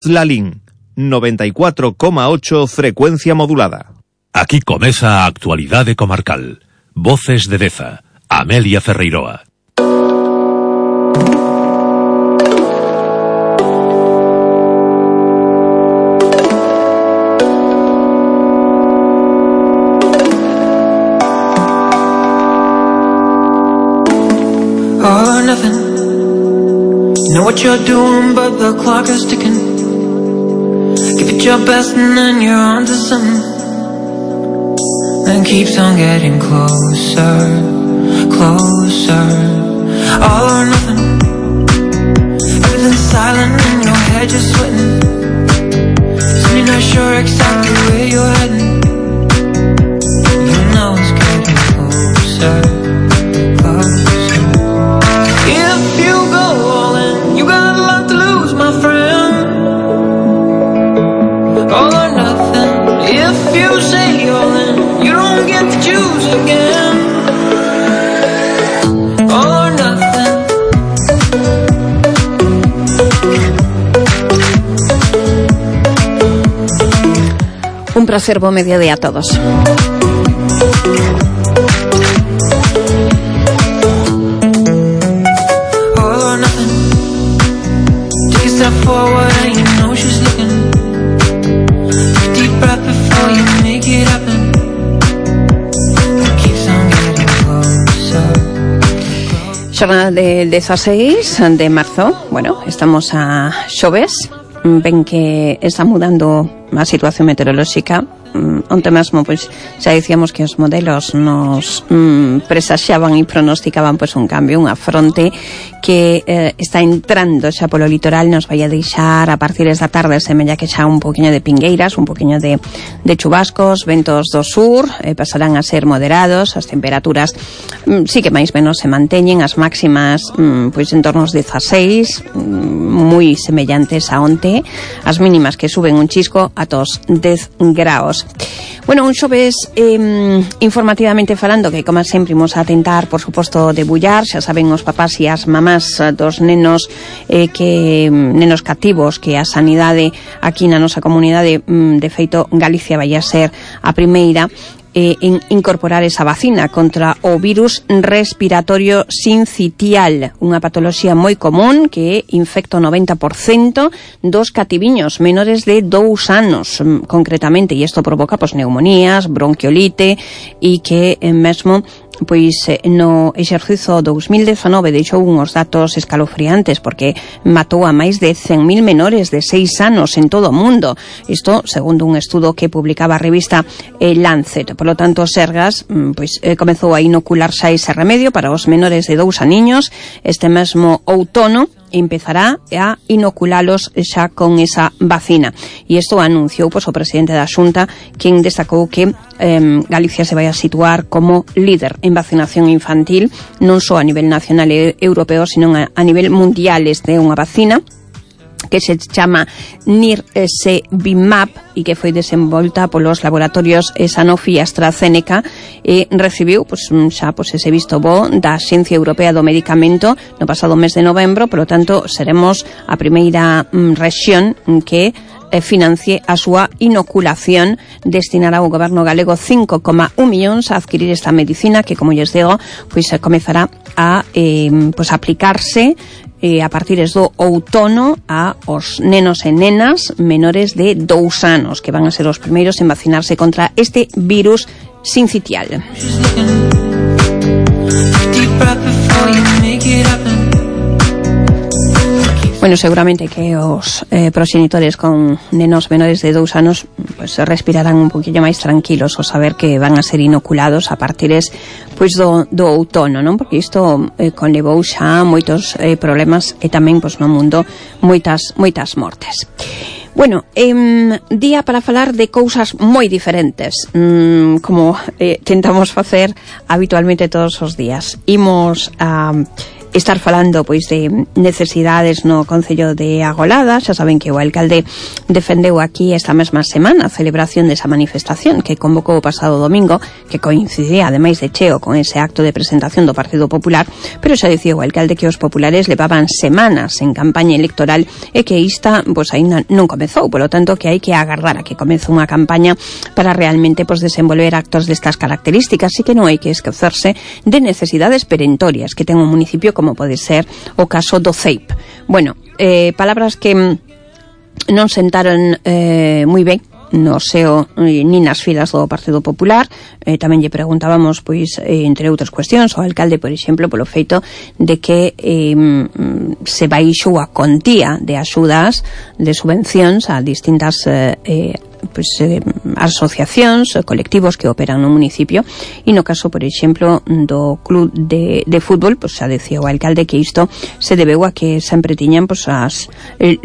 Lalín, 94,8 frecuencia modulada. Aquí comeza a actualidade comarcal. Voces de Deza, Amelia Ferreiroa. All or nothing. You know what you're doing, but the clock is ticking. Give it your best and then you're on to something. And keeps on getting closer, closer. All or nothing. Everything's silent and your head just sweating. So you're not sure exactly where you're heading. You know it's getting closer, closer. If you go all in, you got a lot to lose, my friend. All or nothing. If you say all in, you don't get to choose again. All or nothing. Un placer, buen mediodía a todos. All or nothing. Take a step forward and you know she's looking. Take a deep breath before you make it happen. It keeps on getting closer. Xornada del 16 de marzo. Bueno, estamos a xoves. Ven que está mudando a situación meteorolóxica. Onte mesmo, pois, xa dicíamos que os modelos nos presaxaban e pronosticaban pois un cambio, unha fronte que está entrando xa polo litoral, nos vai a deixar a partir da tarde semella que xa un poquinho de pingueiras, un poquinho de chubascos, ventos do sur, pasarán a ser moderados, as temperaturas sí que máis menos se manteñen, as máximas pois en torno aos 16, moi semellantes a onte, as mínimas que suben un chisco ata os 10 graus. Bueno, un xoves informativamente falando que, como sempre, imos a tentar, por suposto, debullar, xa saben os papás e as mamás dos nenos nenos cativos, que a sanidade aquí na nosa comunidade, de feito, Galicia vai a ser a primeira en incorporar esa vacina contra o virus respiratorio sincitial, unha patoloxía moi común que infecta o 90% dos cativiños menores de 2 anos, concretamente, e isto provoca neumonías, bronquiolite, e que mesmo pois no exercizo 2019 deixou uns datos escalofriantes porque matou a máis de 100.000 menores de 6 anos en todo o mundo. Isto segundo un estudo que publicaba a revista Lancet. Por lo tanto, Sergas pois comezou a inocular xa ese remedio para os menores de 2 aniños. Este mesmo outono empezará a inoculalos xa con esa vacina. E isto anunciou pois o presidente da Xunta, quen destacou que Galicia se vai a situar como líder en vacinación infantil, non só a nivel nacional e europeo, sino a nivel mundial. Este é unha vacina que se chama Nirsevimab e que foi desenvolta polos laboratorios Sanofi e AstraZeneca e recibiu xa ese visto bo da Axencia Europea do Medicamento no pasado mes de novembro. Por lo tanto, seremos a primeira rexión que financie a súa inoculación. Destinará o goberno galego 5,1 millóns a adquirir esta medicina que, como lles digo, pois comezará a aplicarse a partir do outono a os nenos e nenas menores de 2 anos, que van a ser os primeiros en vacinarse contra este virus sincitial. Bueno, seguramente que os proxenitores con nenos menores de 2 anos pues respirarán un poquillo máis tranquilos ao saber que van a ser inoculados a partir pois do outono, non? Porque isto conlevou xa moitos problemas e tamén pois no mundo moitas mortes. Bueno, día para falar de cousas moi diferentes, como tentamos facer habitualmente todos os días. Imos a estar falando pois de necesidades no Concello de Agolada. Xa saben que o alcalde defendeu aquí esta mesma semana a celebración desa manifestación que convocou o pasado domingo, que coincidía ademais de cheo con ese acto de presentación do Partido Popular, pero xa dicía o alcalde que os populares levaban semanas en campaña electoral e que esta pois aínda non comezou, polo tanto que hai que agardar a que comece unha campaña para realmente pois desenvolver actos destas características, e que non hai que esquecerse de necesidades perentorias que ten un municipio como pode ser o caso do CEIP. Bueno, palabras que non sentaron moi ben no seo nin nas filas do Partido Popular. Tamén lle preguntábamos pois entre outras cuestións ao alcalde, por exemplo, polo feito de que se baixou a contía de axudas, de subvencións a distintas asociacións, colectivos que operan no municipio, e no caso, por exemplo, do club de fútbol, pois xa decía o alcalde que isto se debeu a que sempre tiñan pois as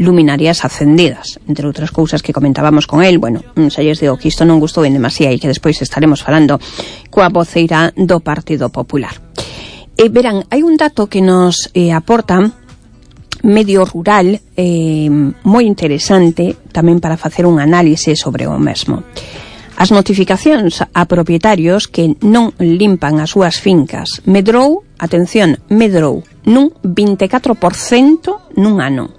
luminarias acendidas, entre outras cousas que comentábamos con el. Bueno, xa lles digo que isto non gustou en demasía e que despois estaremos falando coa voceira do Partido Popular. Verán, hai un dato que nos aporta Medio Rural moi interesante tamén para facer un análise sobre o mesmo. As notificacións a propietarios que non limpan as súas fincas medrou, atención, medrou nun 24% nun ano.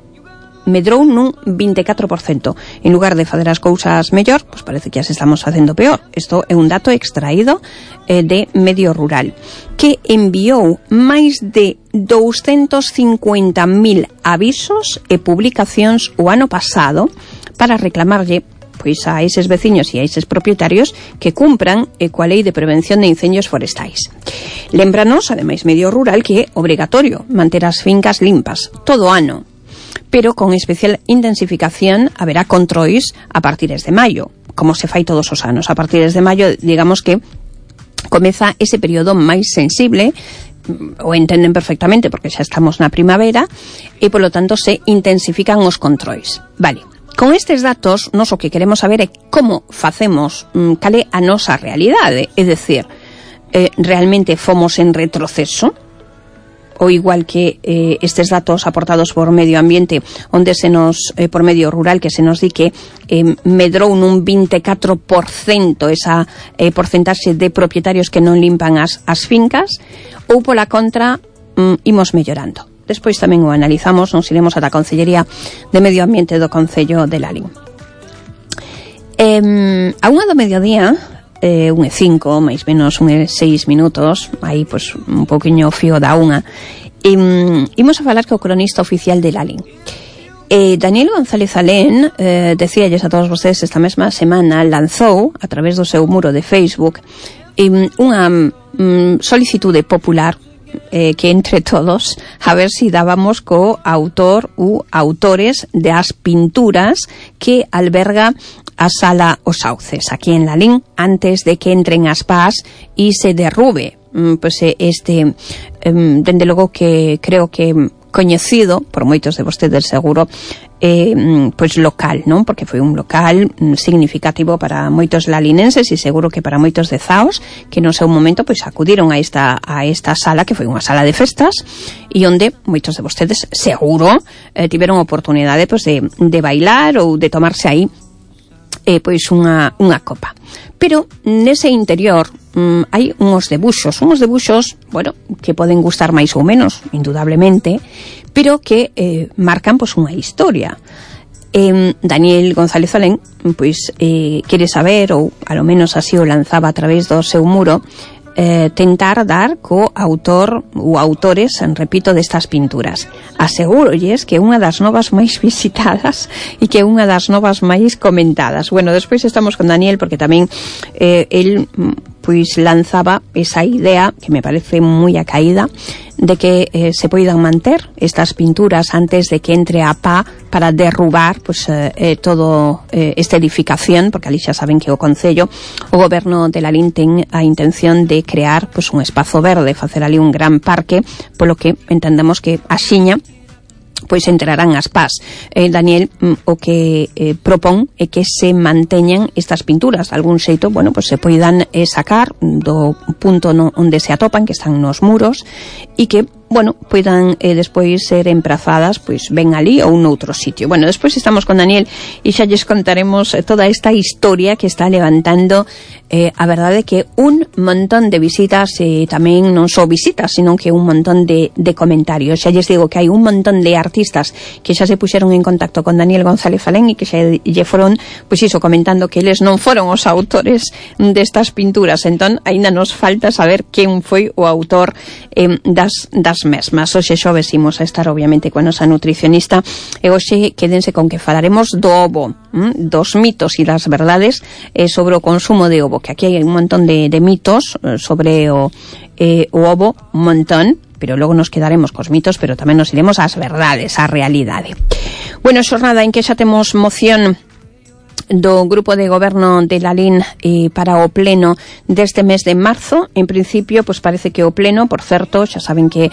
Medrou nun 24%. En lugar de fazer as cousas mellor, pois parece que as estamos facendo peor. Isto é un dato extraído de Medio Rural, que enviou máis de 250.000 avisos e publicacións o ano pasado para reclamarlle pois a eses veciños e a eses propietarios que cumpran coa Lei de Prevención de Incendios Forestais. Lémbranos, ademais, Medio Rural, que é obrigatorio manter as fincas limpas todo o ano, pero con especial intensificación haberá controis a partires de maio, como se fai todos os anos. A partires de maio, digamos que comeza ese período máis sensible, o entenden perfectamente porque xa estamos na primavera, e polo tanto se intensifican os controis. Vale, con estes datos nos o que queremos saber é como facemos, cal é a nosa realidade, é dicir, realmente fomos en retroceso, ou igual que estes datos aportados por Medio Ambiente, onde se nos, por Medio Rural, que se nos di que medrou nun 24% esa porcentaxe de propietarios que non limpan as fincas, ou pola contra imos mellorando. Despois tamén o analizamos, nos iremos ata a Consellería de Medio Ambiente do Concello de Lalín. A 1 do mediodía, 1:05, máis menos 1:06 minutos, aí pois un poquinho fío da 1, imos a falar co cronista oficial de Lalín. Daniel González Alén, decíalles a todos vostedes esta mesma semana, lanzou a través do seu muro de Facebook unha solicitude popular que entre todos a ver si dábamos co autor ou autores das pinturas que alberga a Sala Os Sauces, aquí en Lalín, antes de que entren as pás e se derrube pues este, dende logo que creo que coñecido por moitos de vostedes seguro, pois local, non? Porque foi un local significativo para moitos lalinenses e seguro que para moitos de Zaos que no seu momento pois acudiron a esta sala, que foi unha sala de festas e onde moitos de vostedes seguro tiveron oportunidade pois de bailar ou de tomarse aí pois unha copa. Pero nese interior hai uns debuxos, bueno, que poden gustar máis ou menos, indudablemente, pero que marcan pois unha historia. Daniel González Alén pois quere saber, ou a lo menos así o lanzaba a través do seu muro, tentar dar co autor ou autores, repito, destas pinturas. Asegúrolles que é unha das novas máis visitadas e que é unha das novas máis comentadas. Bueno, despois estamos con Daniel porque tamén el pois lanzaba esa idea que me parece moi acaída de que se poidan manter estas pinturas antes de que entre a pá para derrubar pois todo esta edificación, porque ali xa saben que o Concello, o Goberno de Lalín ten a intención de crear pois un espazo verde, facer ali un gran parque, polo que entendemos que axiña pois entrarán as pás. Daniel o que propón é que se manteñan estas pinturas, de algún xeito, bueno, pois se poidan sacar do punto onde se atopan, que están nos muros, e que bueno, poidan despois ser emprazadas pois ben ali ou noutro sitio. Bueno, despois estamos con Daniel e xa lles contaremos toda esta historia que está levantando a verdade que un montón de visitas, tamén non só visitas, sino que un montón de comentarios. Xa lles digo que hai un montón de artistas que xa se puxeron en contacto con Daniel González Alén e que xa lle foron, pois iso, comentando que eles non foron os autores destas pinturas. Entón, aínda nos falta saber quen foi o autor das mesmas. Hoxe xoves imos a estar obviamente con a nosa nutricionista e hoxe quédense con que falaremos do ovo, dos mitos e das verdades sobre o consumo de ovo, que aquí hai un montón de mitos sobre o ovo, un montón, pero logo nos quedaremos cos mitos, pero tamén nos iremos ás verdades, á realidade. Bueno, xornada en que xa temos moción do Grupo de Goberno de Lalín para o pleno deste mes de marzo. En principio, pois parece que o pleno, por certo, xa saben que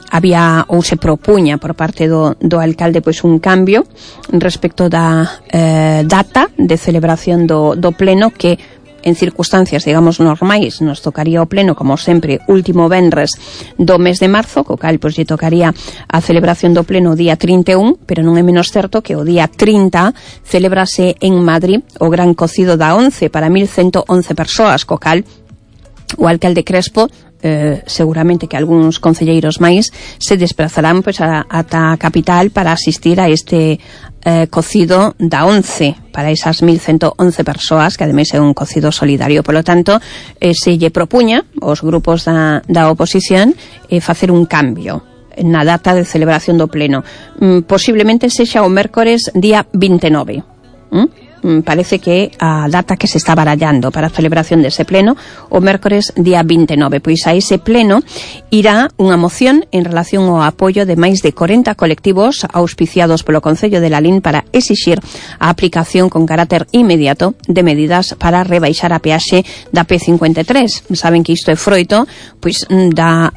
había ou se propuña por parte do alcalde pois un cambio respecto da data de celebración do pleno, que en circunstancias, digamos, normais nos tocaría o pleno, como sempre, último venres do mes de marzo, co cal pois lle tocaría a celebración do pleno o día 31, pero non é menos certo que o día 30 celebrase en Madrid o gran cocido da 11 para 1111 persoas, co cal o alcalde Crespo seguramente que algúns concelleiros máis se desplazarán pois ata a capital para asistir a este cocido da 11 para esas 1111 persoas, que ademais é un cocido solidario. Por lo tanto, se lle propuña aos grupos da oposición facer un cambio na data de celebración do pleno. Posiblemente sexa o mércores día 29. Parece que a data que se está barallando para a celebración dese pleno o mércores día 29, pois a ese pleno irá unha moción en relación ao apoio de máis de 40 colectivos auspiciados polo Concello de Lalín para exixir a aplicación con carácter inmediato de medidas para rebaixar a peaxe da P53. Saben que isto é froito pois da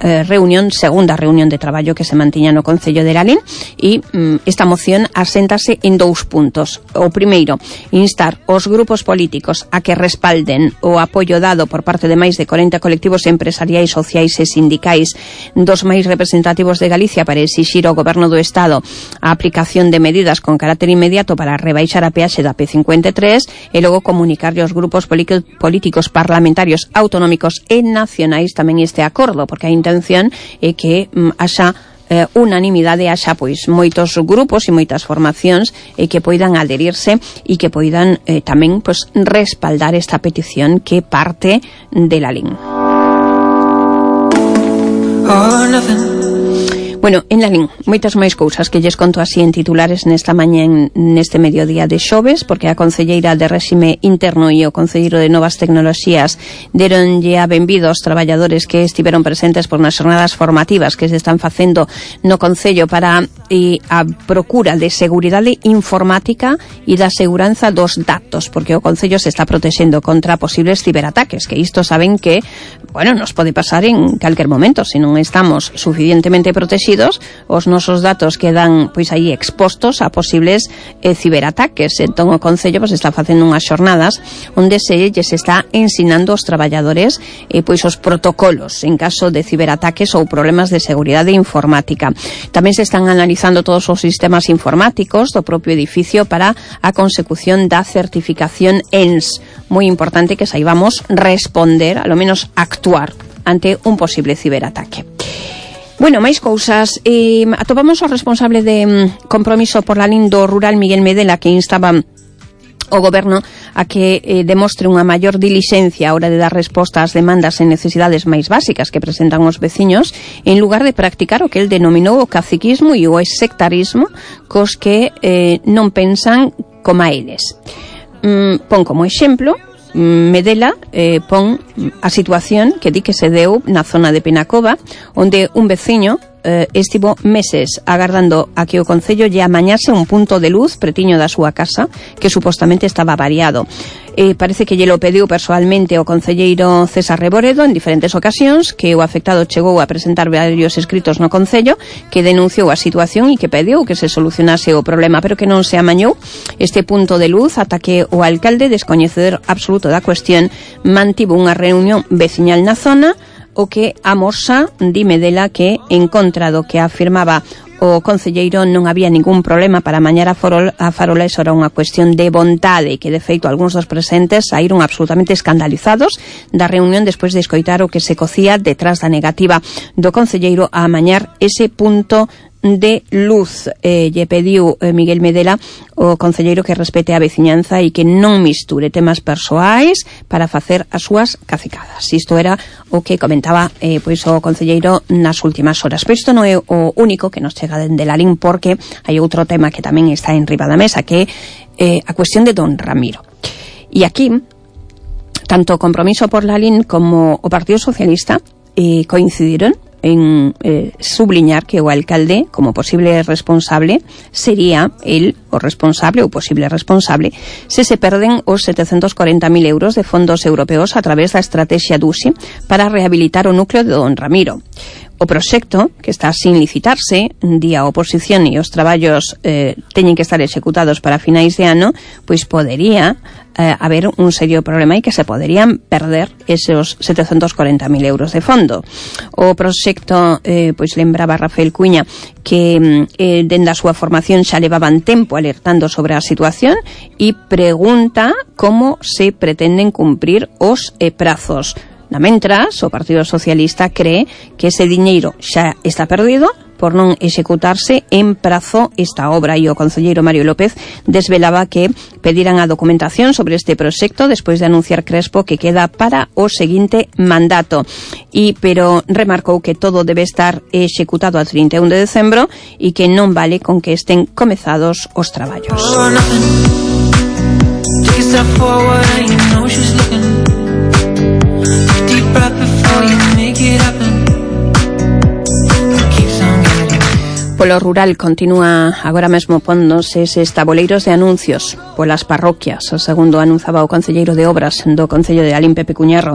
segunda reunión de traballo que se mantiña no Concello de Lalín, e esta moción aséntase en 2 puntos. O primeiro, instar os grupos políticos a que respalden o apoio dado por parte de máis de 40 colectivos empresariais, sociais e sindicais dos máis representativos de Galicia para exixir ao Goberno do Estado a aplicación de medidas con carácter inmediato para rebaixar a peaxe da P53 e logo comunicarlle aos grupos políticos parlamentarios autonómicos e nacionais tamén este acordo, porque a intención é que haxa unanimidade, haxa pois moitos grupos e moitas formacións que poidan adherirse e que poidan tamén pois respaldar esta petición que parte de Lalín. Bueno, en Lalín, moitas máis cousas que lles conto así en titulares nesta mañá, neste mediodía de xoves, porque a concelleira de réxime interno e o concelleiro de novas tecnoloxías deronlle a benvido aos traballadores que estiveron presentes por nas xornadas formativas que se están facendo no Concello para a procura de seguridade informática e da seguranza dos datos, porque o Concello se está protexendo contra posibles ciberataques, que isto saben que, bueno, nos pode pasar en calquer momento, se non estamos suficientemente protegidos, os nosos datos quedan pois aí expostos a posibles ciberataques. Entón o Concello pois está facendo unhas xornadas onde se lles está ensinando aos traballadores pois os protocolos en caso de ciberataques ou problemas de seguridade informática. Tamén se están analizando todos os sistemas informáticos do propio edificio para a consecución da certificación ENS. Moi importante que saibamos responder, a lo menos actuar ante un posible ciberataque. Bueno, máis cousas. Atopamos o responsable de Compromiso por Lalín do Rural, Miguel Medela, que instaba o Goberno a que demostre unha maior dilixencia a hora de dar resposta ás demandas e necesidades máis básicas que presentan os veciños, en lugar de practicar o que el denominou o caciquismo e o sectarismo, cos que non pensan como a eles. Pon como exemplo Medela pon a situación que di que se deu na zona de Penacova, onde un veciño estivo meses agardando a que o Concello lle amañase un punto de luz pretiño da súa casa que supostamente estaba variado. Parece que lle lo pediu persoalmente o concelleiro César Reboredo en diferentes ocasións, que o afectado chegou a presentar varios escritos no Concello, que denunciou a situación e que pediu que se solucionase o problema, pero que non se amañou este punto de luz ata que o alcalde, descoñecedor absoluto da cuestión, mantivo unha reunión veciñal na zona o que amosa dime dela que en contra do que afirmaba o concelleiro non había ningún problema para mañar a farola. Eso era unha cuestión de vontade, que de feito algúns dos presentes saíron absolutamente escandalizados da reunión despois de escoitar o que se cocía detrás da negativa do concelleiro a amañar ese punto de luz. Lle pediu Miguel Medela o concelleiro que respete a veciñanza e que non misture temas persoais para facer as súas cacicadas. Isto era o que comentaba pois o concelleiro nas últimas horas. Pero isto non é o único que nos chega dende Lalín, porque hai outro tema que tamén está en riba da mesa, que é a cuestión de don Ramiro. E aquí, tanto o Compromiso por Lalín como o Partido Socialista coincidiron en subliñar que o alcalde, como posible responsable, sería el o responsable ou posible responsable se perden os 740.000 euros de fondos europeos a través da estrategia DUSI para rehabilitar o núcleo de don Ramiro. O proxecto, que está sin licitarse, di a oposición e os traballos teñen que estar executados para finais de ano, pois podería haber un serio problema e que se poderían perder esos 740.000 euros de fondo. O proxecto, pois lembraba Rafael Cuña que dende a súa formación xa levaban tempo alertando sobre a situación e pregunta como se pretenden cumprir os prazos. Na mentras, o Partido Socialista cree que ese diñeiro xa está perdido por non executarse en prazo esta obra, e o concelleiro Mario López desvelaba que pedirán a documentación sobre este proxecto despois de anunciar Crespo que queda para o seguinte mandato, pero remarcou que todo debe estar executado a 31 de decembro e que non vale con que estén comezados os traballos. Polo rural continúa agora mesmo póndose eses taboleiros de anuncios polas parroquias, segundo anunciaba o concelleiro de Obras do Concello de Lalín, Pepe Cuñarro.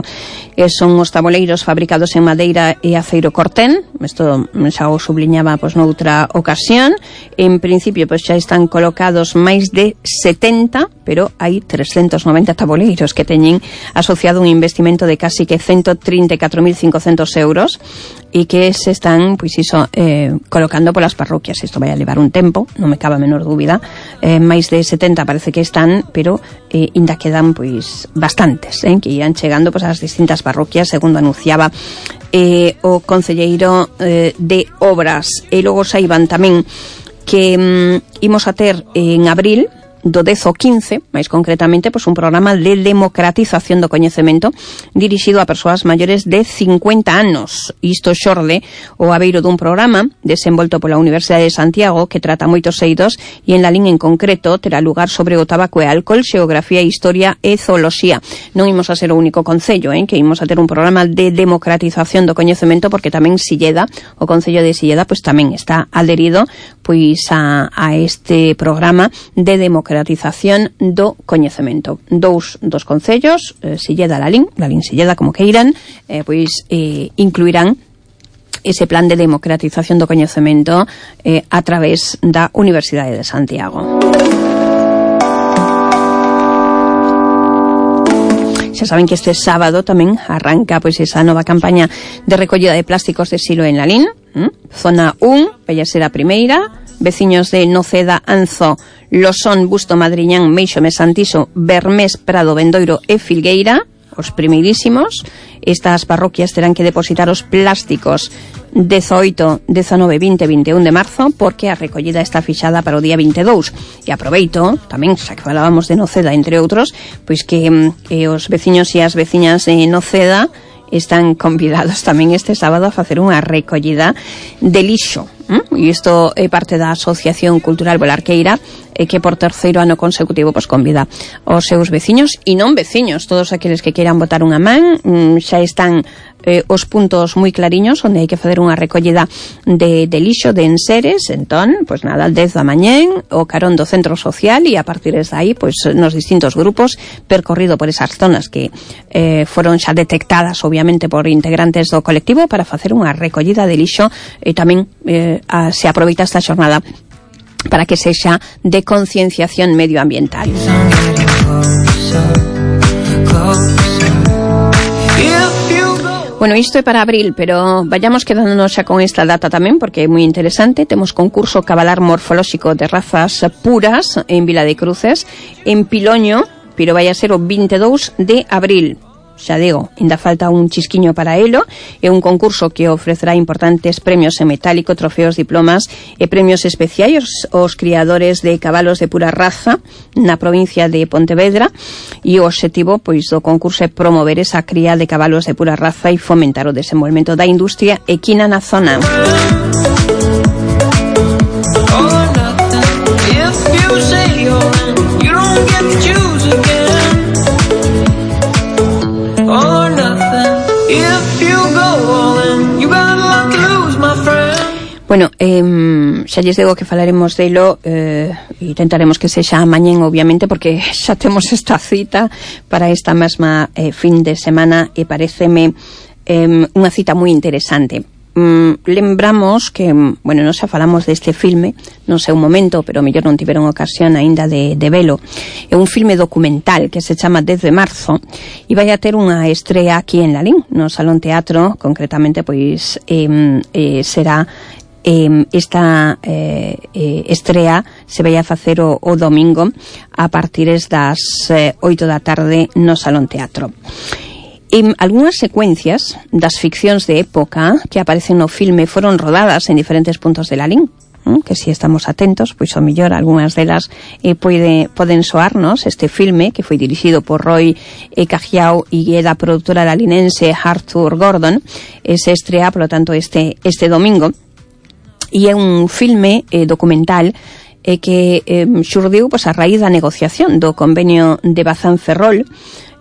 Son os taboleiros fabricados en madeira e aceiro cortén. Isto xa o subliñaba pois noutra ocasión. En principio pois xa están colocados máis de 70, pero hai 390 taboleiros que teñen asociado un investimento de casi que 134.500 euros e que se están pois iso colocando polas parroquias. Isto vai a levar un tempo, non me cabe a menor dúbida. Máis de 70 parece que están, pero ainda quedan pois bastantes que irán chegando pois ás distintas parroquias, segundo anunciaba o concelleiro de Obras. E logo saiban tamén que imos a ter en abril do 10 ao 15, máis concretamente, pois un programa de democratización do coñecemento dirixido a persoas maiores de 50 anos. Isto xorde o abeiro dun programa desenvolto pola Universidade de Santiago que trata moitos eidos, e en Lalín en concreto terá lugar sobre o tabaco e alcohol, xeografía, historia e zooloxía. Non imos a ser o único concello que imos a ter un programa de democratización do coñecemento, porque tamén Silleda, o concello de Silleda, pois tamén está adherido pois a este programa de democratización do coñecemento. Dous dos concellos, Silleda, Lalín Silleda, como que irán, pois incluirán ese plan de democratización do coñecemento a través da Universidade de Santiago. Xa saben que este sábado tamén arranca pois esa nova campaña de recollida de plásticos de silo en Lalín. Zona 1, vai a ser a primeira. Veciños de Noceda, Anzo, Losón, Busto, Madriñán, Meixo, Mesantiso, Bermés, Prado, Bendoiro e Filgueira, os primeirísimos. Estas parroquias terán que depositar os plásticos 18, 19, 20 e 21 de marzo, porque a recollida está fixada para o día 22. E aproveito, tamén, xa que falábamos de Noceda, entre outros, pois que os veciños e as veciñas de Noceda están convidados tamén este sábado a facer unha recollida de lixo. E isto é parte da Asociación Cultural Bolarqueira, que por terceiro ano consecutivo pois convida aos seus veciños e non veciños, todos aqueles que queiran botar unha man. Xa están os puntos moi clariños onde hai que facer unha recollida de lixo, de enseres. Entón, pois nada, al 10 da mañén, o carón do centro social, e a partir de aí, pois nos distintos grupos, percorrido por esas zonas que foron xa detectadas, obviamente, por integrantes do colectivo, para facer unha recollida de lixo. E tamén se aproveita esta xornada para que sexa de concienciación medioambiental. Bueno, isto é para abril, pero vayamos quedándonos xa con esta data tamén, porque é moi interesante. Temos concurso cabalar morfolóxico de razas puras en Vila de Cruces, en Piloño, pero vai a ser o 22 de abril. Xa digo, ainda falta un chisquiño para elo. É un concurso que ofrecerá importantes premios en metálico, trofeos, diplomas e premios especiais aos criadores de cabalos de pura raza na provincia de Pontevedra, e o obxectivo pois do concurso é promover esa cría de cabalos de pura raza e fomentar o desenvolvemento da industria equina na zona. Bueno, xa lles digo que falaremos delo e tentaremos que sexa mañén, obviamente, porque xa temos esta cita para esta mesma fin de semana e pareceme unha cita moi interesante. Lembramos que, bueno, non xa falamos deste filme no seu momento, pero mellor non tiveron ocasión aínda de velo. É un filme documental que se chama 10 de marzo e vai a ter unha estrea aquí en Lalín, no Salón Teatro. Concretamente, pois será esta estrea se vai a facer o domingo a partires das 8 da tarde no Salón Teatro. Algúnas secuencias das ficcións de época que aparecen no filme foron rodadas en diferentes puntos de Lalín, que si estamos atentos, pois o mellor algunhas delas poden soarnos. Este filme, que foi dirixido por Roy Cajiao e da productora lalinense Arthur Gordon, se estrea, polo tanto, este domingo. E é un filme documental que xurdiu pois, a raíz da negociación do convenio de Bazán-Ferrol.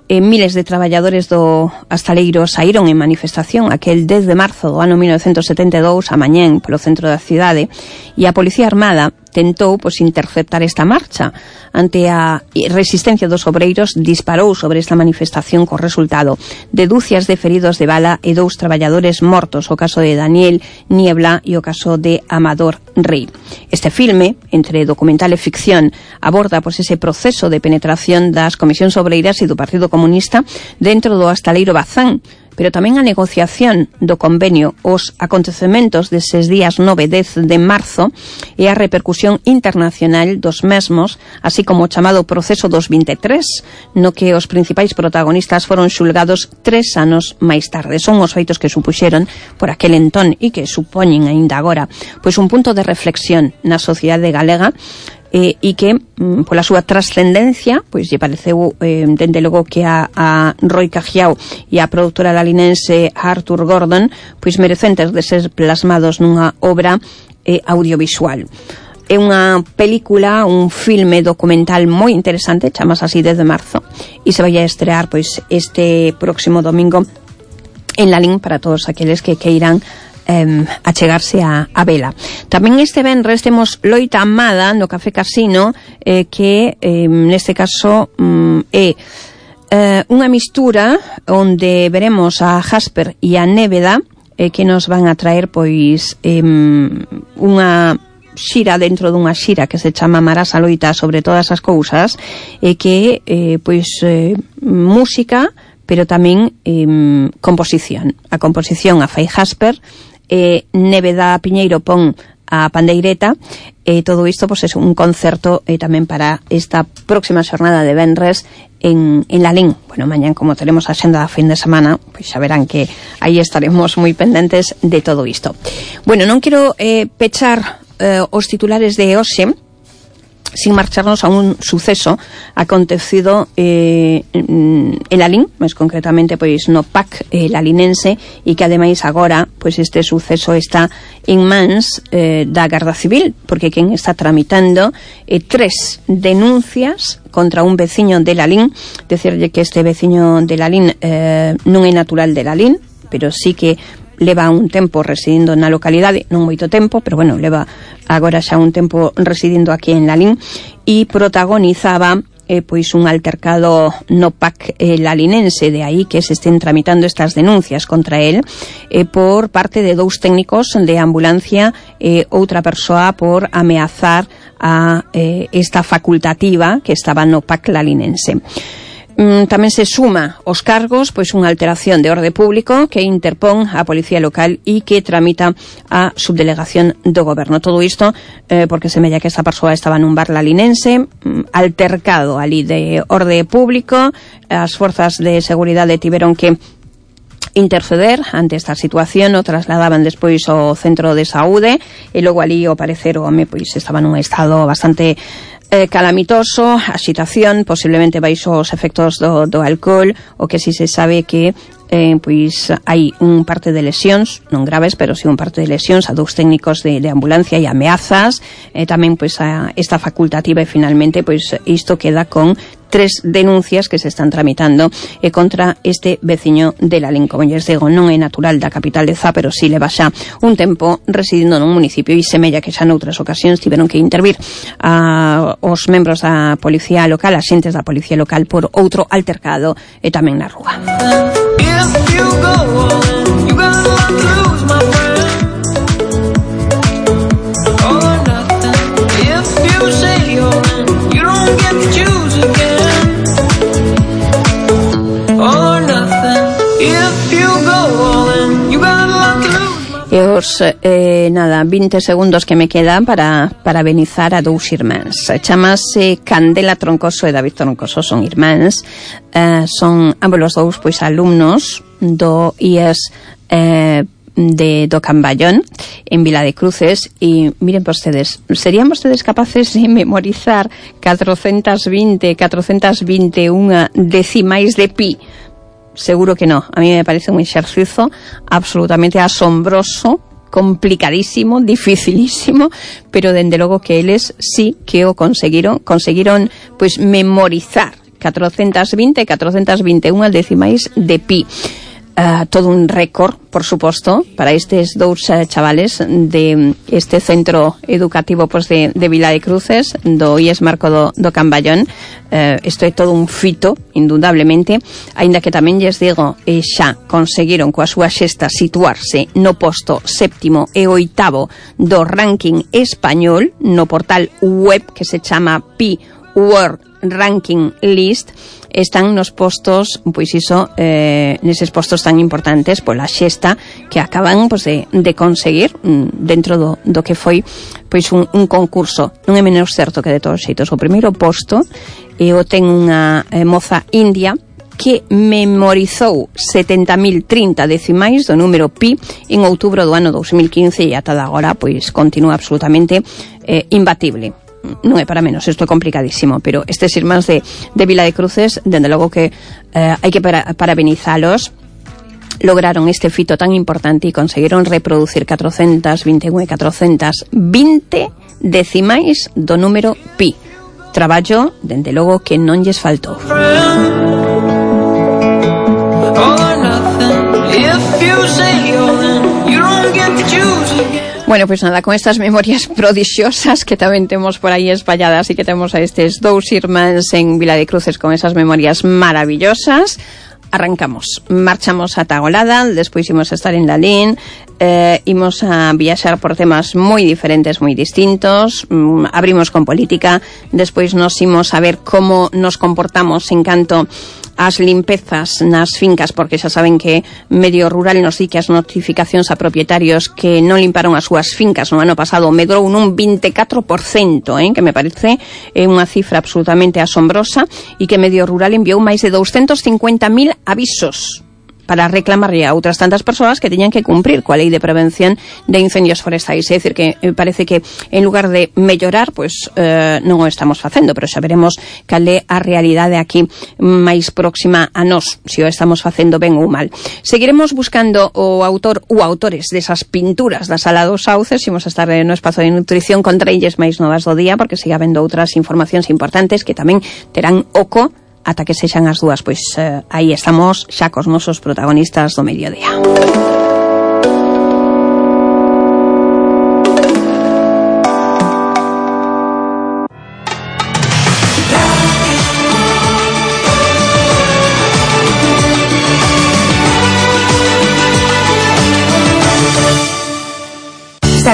Miles de traballadores do Astaleiro saíron en manifestación aquel 10 de marzo do ano 1972 a mañén polo centro da cidade, e a Policía Armada tentou interceptar esta marcha. Ante a resistencia dos obreiros, disparou sobre esta manifestación co resultado de dúcias de feridos de bala e 2 traballadores mortos, o caso de Daniel Niebla e o caso de Amador Rey. Este filme, entre documental e ficción, aborda ese proceso de penetración das comisións obreiras e do Partido Comunista dentro do Astaleiro Bazán, pero tamén a negociación do convenio, os acontecementos deses días 9 e 10 de marzo e a repercusión internacional dos mesmos, así como o chamado proceso dos 23, no que os principais protagonistas foron xulgados 3 anos máis tarde. Son os feitos que supuxeron por aquel entón e que supoñen aínda agora pois un punto de reflexión na sociedade galega, e que pola súa trascendencia pois lle pareceu dende logo que a Roy Cajiao e a productora lalinense Arthur Gordon pois merecentes de ser plasmados nunha obra audiovisual. É unha película, un filme documental moi interesante, chamas así 10 de marzo, e se vai a estrear pois este próximo domingo en Lalín para todos aqueles que queiran achegarse a vela. Tamén este venres temos Loita Amada no Café Casino, que neste caso é unha mistura onde veremos a Jasper e a Néveda, que nos van a traer pois unha xira dentro dunha xira que se chama Marasa Loita sobre todas as cousas, e que pois música, pero tamén composición. A composición a fai Jasper, Néveda Piñeiro pon a pandeireta, e todo isto pois, é un concerto tamén para esta próxima xornada de venres en Lalín. Bueno, mañán, como teremos a xenda da fin de semana, pois xa verán que aí estaremos moi pendentes de todo isto. Bueno, non quero pechar os titulares de hoxe sin marcharnos a un suceso acontecido en Lalín, máis concretamente pois no PAC lalinense, e que ademais agora pois este suceso está en mans da Garda Civil, porque quen está tramitando 3 denuncias contra un veciño de Lalín. Decirlle que este veciño de Lalín non é natural de Lalín, pero sí que leva un tempo residindo na localidade, non moito tempo, pero bueno, leva agora xa un tempo residindo aquí en Lalín, e protagonizaba pois un altercado no PAC lalinense, de aí que se estén tramitando estas denuncias contra él por parte de 2 técnicos de ambulancia e outra persoa por ameazar a esta facultativa que estaba no PAC lalinense. Tamén se suma aos cargos pois unha alteración de orde público que interpón a Policía Local e que tramita a Subdelegación do Goberno. Todo isto porque semella que esta persoa estaba nun bar lalinense, altercado ali de orde público. As forzas de seguridade tiveron que interceder ante esta situación, o trasladaban despois ao centro de saúde e logo ali, ao parecer, o home pois estaba nun estado bastante calamitoso, axitación, posiblemente baixo os efectos do alcohol. O que si se sabe que pois hai un parte de lesións, non graves, pero si un parte de lesións a dous técnicos de ambulancia e ameazas, tamén pois a esta facultativa, e finalmente pois isto queda con 3 denuncias que se están tramitando contra este veciño de Lalín. Como lles digo, non é natural da capital de Zá, pero si leva xa un tempo residindo nun municipio e semella que xa noutras ocasións tiveron que intervir os membros da policía local, axentes da policía local, por outro altercado e tamén na rúa. E os 20 segundos que me quedan para benizar a dous irmáns. Chamase Candela Troncoso e David Troncoso, son irmáns, son ambos os dous pois alumnos do IES do Camballón en Vila de Cruces. E miren vostedes, serían vostedes capaces de memorizar 421 decimais de pi? Seguro que no. A mí me parece un exercicio absolutamente asombroso, complicadísimo, dificilísimo, pero dende logo que eles sí que o conseguiron pois memorizar 421 decimais de pi. Todo un récord, por suposto, para estes dous chavales de este centro educativo pois de Vila de Cruces, do IES Marco do Camballón. Isto é todo un fito, indudablemente, aínda que tamén lles digo, xa conseguiron coa súa xesta situarse no posto 7º e 8º do ranking español no portal web que se chama Pi World Ranking List. Están nos postos, pois iso, neses postos tan importantes pola xesta que acaban pois de conseguir dentro do que foi pois un concurso. Non é menos certo que de todos os xeitos o primeiro posto o ten unha moza india que memorizou 70.030 decimais do número pi en outubro do ano 2015 e ata de agora pois continúa absolutamente imbatible. Non é para menos, isto é complicadísimo, pero estes irmáns de Vila de Cruces, dende logo que hai que parabenizalos. Lograron este fito tan importante e conseguiron reproducir 421 e 420 decimais do número pi. Traballo, dende logo, que non lles faltou. Bueno, pues nada, con estas memorias prodixiosas que tamén temos por aí espalladas e que temos a estes dous irmáns en Vila de Cruces con esas memorias maravillosas, arrancamos, marchamos a Tagolada, despois imos a estar en Lalín, imos a viaxar por temas moi diferentes, moi distintos, abrimos con política, despois nos imos a ver como nos comportamos en canto as limpezas nas fincas, porque xa saben que Medio Rural nos di que as notificacións a propietarios que non limparon as súas fincas no ano pasado medrou nun 24%, que me parece unha cifra absolutamente asombrosa, e que Medio Rural enviou máis de 250.000 avisos para reclamarlle a outras tantas persoas que teñan que cumprir coa lei de prevención de incendios forestais. É dicir, que parece que en lugar de mellorar, pois non o estamos facendo, pero xa veremos cal é a realidade aquí máis próxima a nós, se o estamos facendo ben ou mal. Seguiremos buscando o autor ou autores desas pinturas da Sala dos Sauces, imos a estar no espazo de nutrición con trailles máis novas do día, porque siga habendo outras informacións importantes que tamén terán oco ata que sexan as dúas, pois aí estamos xa cos nosos protagonistas do mediodía.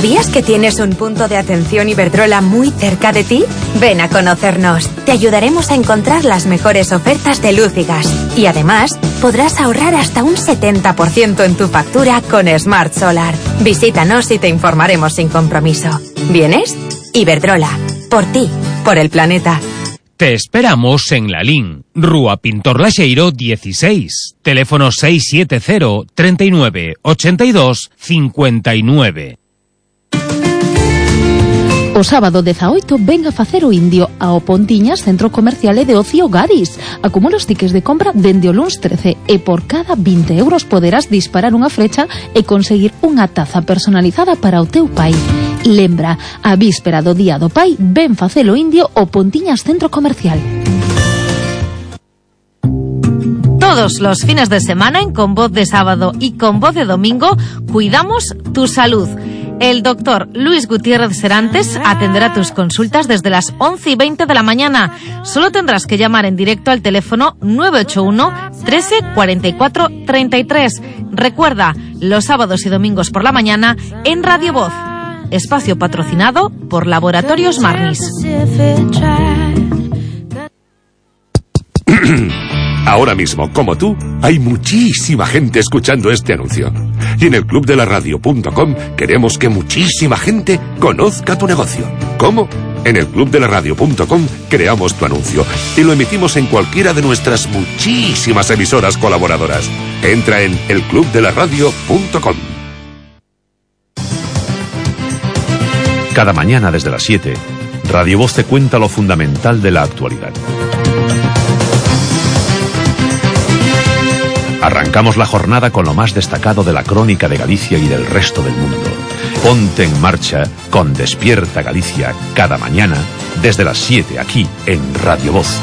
¿Sabías que tienes un punto de atención Iberdrola muy cerca de ti? Ven a conocernos. Te ayudaremos a encontrar las mejores ofertas de luz y gas. Y además, podrás ahorrar hasta un 70% en tu factura con Smart Solar. Visítanos y te informaremos sin compromiso. ¿Vienes? Iberdrola. Por ti. Por el planeta. Te esperamos en Lalín, Rúa Pintor Laxeiro 16, teléfono 670 39 82 59. O sábado 18 ven a facer o indio ao Pontiñas Centro Comercial e de Ocio Gadis. Acumula os tickets de compra dende o luns 13 e por cada 20 euros poderás disparar unha flecha e conseguir unha taza personalizada para o teu pai. Lembra, a víspera do Día do Pai, ven facelo indio o Pontiñas Centro Comercial. Todos los fines de semana en Con Voz de Sábado y Con Voz de Domingo cuidamos tu salud. El doctor Luis Gutiérrez Serantes atenderá tus consultas desde las 11:20 de la mañana. Solo tendrás que llamar en directo al teléfono 981 13 44 33. Recuerda, los sábados y domingos por la mañana en Radio Voz. Espacio patrocinado por Laboratorios Marnis. Ahora mismo, como tú, hay muchísima gente escuchando este anuncio. Y en el clubdelaradio.com queremos que muchísima gente conozca tu negocio. ¿Cómo? En el clubdelaradio.com creamos tu anuncio y lo emitimos en cualquiera de nuestras muchísimas emisoras colaboradoras. Entra en elclubdelaradio.com. Cada mañana desde las 7, Radio Voz te cuenta lo fundamental de la actualidad. Arrancamos la jornada con lo más destacado de la crónica de Galicia y del resto del mundo. Ponte en marcha con Despierta Galicia cada mañana desde las 7 aquí en Radio Voz.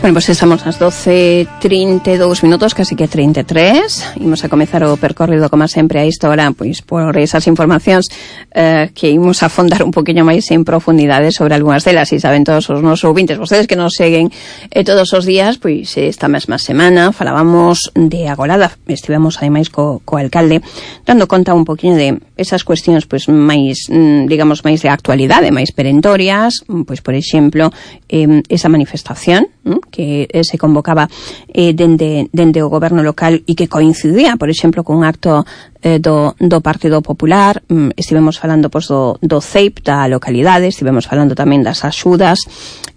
Bueno, pues estamos ás 12:32 minutos, casi que 33. Imos a comezar o percorrido, como sempre, a esta hora, pois, por esas informacións que imos a fondar un poquinho máis en profundidade sobre algunhas delas. E saben todos os nosos ouvintes, vostedes que nos seguen todos os días, pois esta mesma semana falábamos de Agolada. Estivemos ademais co alcalde dando conta un poquinho de esas cuestións pois máis, digamos, máis de actualidade, máis perentorias, pois por exemplo, esa manifestación que se convocaba dende o goberno local e que coincidía, por exemplo, con un acto do Partido Popular. Estivemos falando pois do CEIP da localidade, estivemos falando tamén das axudas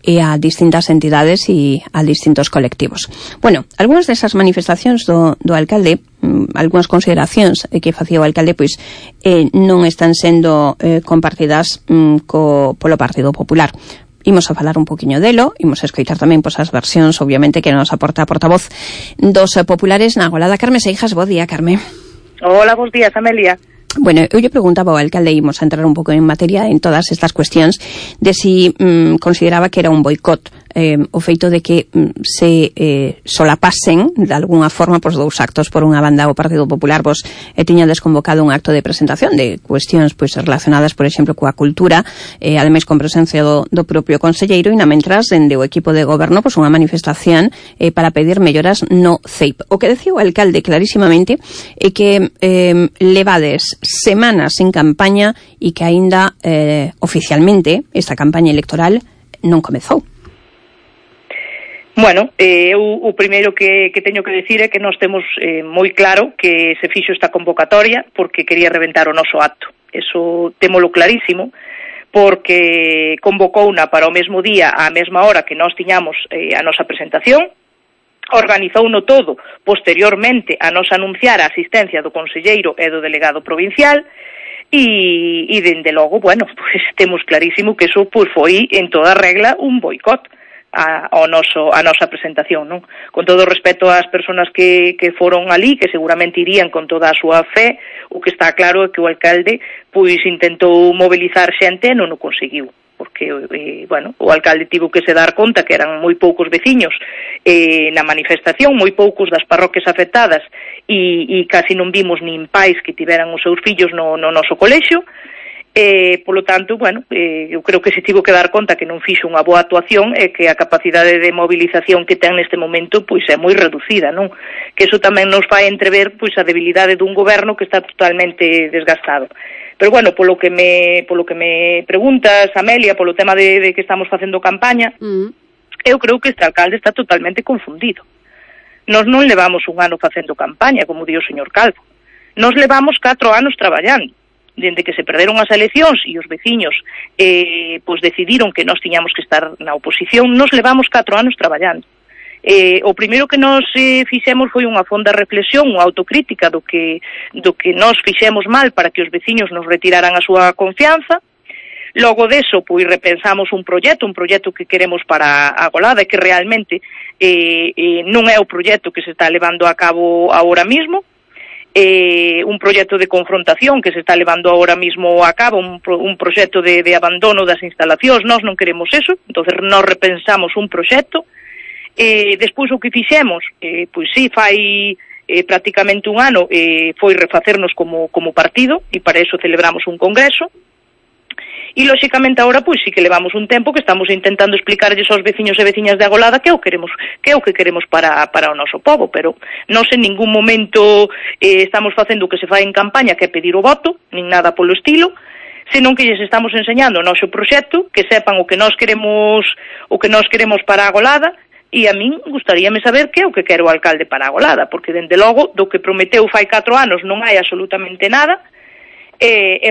a distintas entidades e a distintos colectivos. Bueno, algunhas desas manifestacións do alcalde, algunhas consideracións que facía o alcalde, pois non están sendo compartidas polo Partido Popular. Imos a falar un poquinho delo, imos a escoitar tamén pois as versións, obviamente, que nos aporta a portavoz dos populares na Agolada. Carme Seijas, bo día, Carme. Hola, bons días, Amelia. Bueno, eu lle preguntaba ao alcalde, imos a entrar un pouco en materia en todas estas cuestións, de si consideraba que era un boicot o feito de que se solapasen de alguna forma pois dous actos. Por unha banda, o Partido Popular tiña desconvocado un acto de presentación de cuestións pois relacionadas, por exemplo, coa cultura, ademais con presencia do propio conselleiro, e na mentras dende o equipo de goberno pois unha manifestación para pedir melloras no CEIP. O que decía o alcalde clarísimamente é que levades semanas en campaña e que aínda oficialmente esta campaña electoral non comezou. Bueno, eu o primeiro que teño que decir é que nós temos moi claro que se fixo esta convocatoria porque quería reventar o noso acto. Eso témolo clarísimo, porque convocouna para o mesmo día, á mesma hora que nós tiñamos a nosa presentación, organizouno todo posteriormente a nos anunciar a asistencia do conselleiro e do delegado provincial, e dende logo, bueno, pues temos clarísimo que eso pues foi en toda regla un boicot a nosa presentación, non? Con todo o respeto ás persoas que foron ali, que seguramente irían con toda a súa fe, o que está claro é que o alcalde pois intentou mobilizar xente e non o conseguiu, porque, bueno, o alcalde tivo que se dar conta que eran moi poucos veciños na manifestación, moi poucos das parroquias afectadas, e casi non vimos nin pais que tiveran os seus fillos no noso colexio. Polo tanto, bueno, eu creo que se tivo que dar conta que non fixo unha boa actuación e que a capacidade de movilización que ten neste momento pois é moi reducida, non? Que eso tamén nos fai entrever pois a debilidade dun goberno que está totalmente desgastado. Pero bueno, polo que me preguntas, Amelia, polo tema de que estamos facendo campaña, eu creo que este alcalde está totalmente confundido. Nós non levamos un ano facendo campaña, como di o señor Calvo. Nós levamos 4 anos traballando. Dende que se perderon as eleccións e os veciños pois decidiron que nós tiñamos que estar na oposición, nos levamos 4 anos traballando. O primeiro que nós fixemos foi unha fonda reflexión, unha autocrítica do que nós fixemos mal para que os veciños nos retiraran a súa confianza. Logo deso, pois repensamos un proxecto que queremos para a Golada e que realmente non é o proxecto que se está levando a cabo agora mismo. Un proxecto de confrontación que se está levando agora mismo a cabo, un proxecto de abandono das instalacións. Nós non queremos eso, entonces nós repensamos un proxecto. Despois o que fixemos, pois sí, fai prácticamente un ano, foi refacernos como partido, e para eso celebramos un congreso. E, lóxicamente, agora, pois, sí que levamos un tempo que estamos intentando explicarlles aos veciños e veciñas de Agolada que é o que queremos para o noso pobo, pero non en ningún momento estamos facendo o que se fai en campaña, que é pedir o voto, nin nada polo estilo, senón que lles estamos enseñando o noso proxecto, que sepan o que nós queremos para Agolada, e a min gustaríame saber que é o que quero o alcalde para Agolada, porque, dende logo, do que prometeu fai 4 anos non hai absolutamente nada.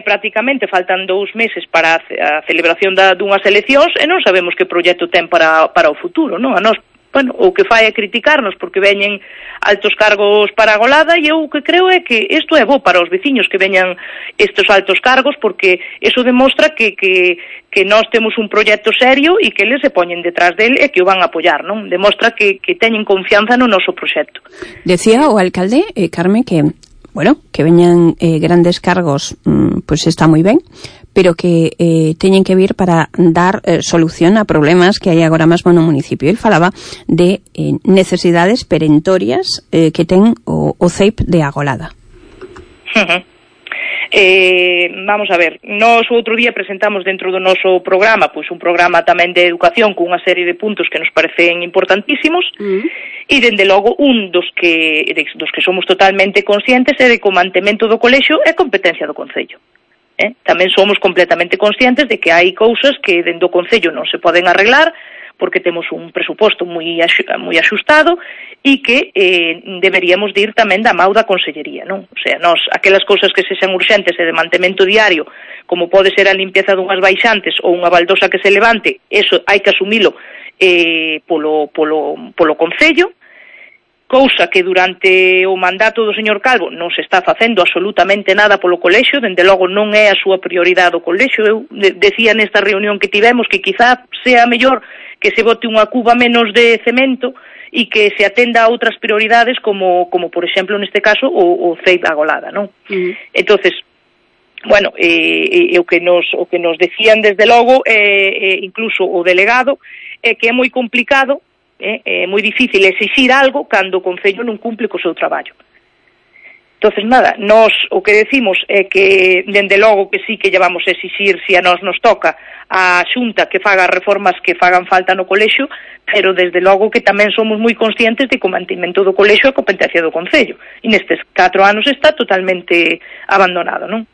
Prácticamente faltan 2 meses para a celebración dunhas eleccións e non sabemos que proxecto ten para o futuro, non? A nós, bueno, o que fai é criticarnos porque veñen altos cargos para a Golada, e eu o que creo é que isto é bo para os veciños que veñan estes altos cargos, porque eso demostra que nós temos un proxecto serio e que eles se poñen detrás del e que o van a apoiar, non? Demostra que teñen confianza no noso proxecto. Decía o alcalde, Carmen, que bueno, que veñan grandes cargos, pues está moi ben, pero que teñen que vir para dar solución a problemas que hai agora mesmo no municipio. El falaba de necesidades perentorias que ten o CEIP de Agolada. Vamos a ver, nós outro día presentamos dentro do noso programa, pois un programa tamén de educación con unha serie de puntos que nos parecen importantísimos, e dende logo un dos que somos totalmente conscientes é de que o mantemento do colexio é competencia do Concello. Tamén somos completamente conscientes de que hai cousas que dentro do Concello non se poden arreglar, porque temos un presuposto moi axustado e que deberíamos de ir tamén da mau da Consellería, non? O sea, nós, aquelas cousas que sexan urxentes e de mantemento diario, como pode ser a limpieza dunhas baixantes ou unha baldosa que se levante, eso hai que asumilo polo Concello, cousa que durante o mandato do señor Calvo non se está facendo absolutamente nada polo colexio, dende logo non é a súa prioridade o colexio. Eu decía nesta reunión que tivemos que quizá sea mellor que se bote unha cuba menos de cemento e que se atenda a outras prioridades como por exemplo, neste caso, o CEIP Agolada, non? Entonces, bueno, o que nos decían desde logo, incluso o delegado, é que é moi complicado, é moi difícil exixir algo cando o Concello non cumple co seu traballo. Entonces, nada, nós o que decimos é que, dende logo que sí que lle vamos a exixir, se a nós nos toca, a Xunta que faga reformas que fagan falta no colexio, pero desde logo que tamén somos moi conscientes de que o mantimento do colexio é competencia do Concello. E nestes 4 anos está totalmente abandonado, non?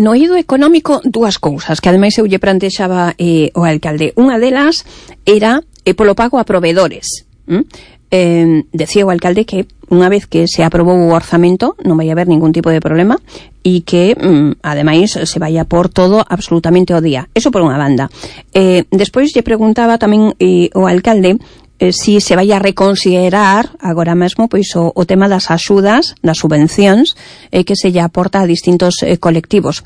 No eido económico, 2 cousas que ademais eu lle plantexaba o alcalde. Unha delas era polo pago a proveedores. Decía o alcalde que unha vez que se aprobou o orzamento non vai haber ningún tipo de problema e que ademais se vai a por todo absolutamente ao día. Eso por unha banda. Despois lle preguntaba tamén o alcalde si se vai a reconsiderar agora mesmo pois o tema das axudas, das subvencións que se lle aporta a distintos colectivos.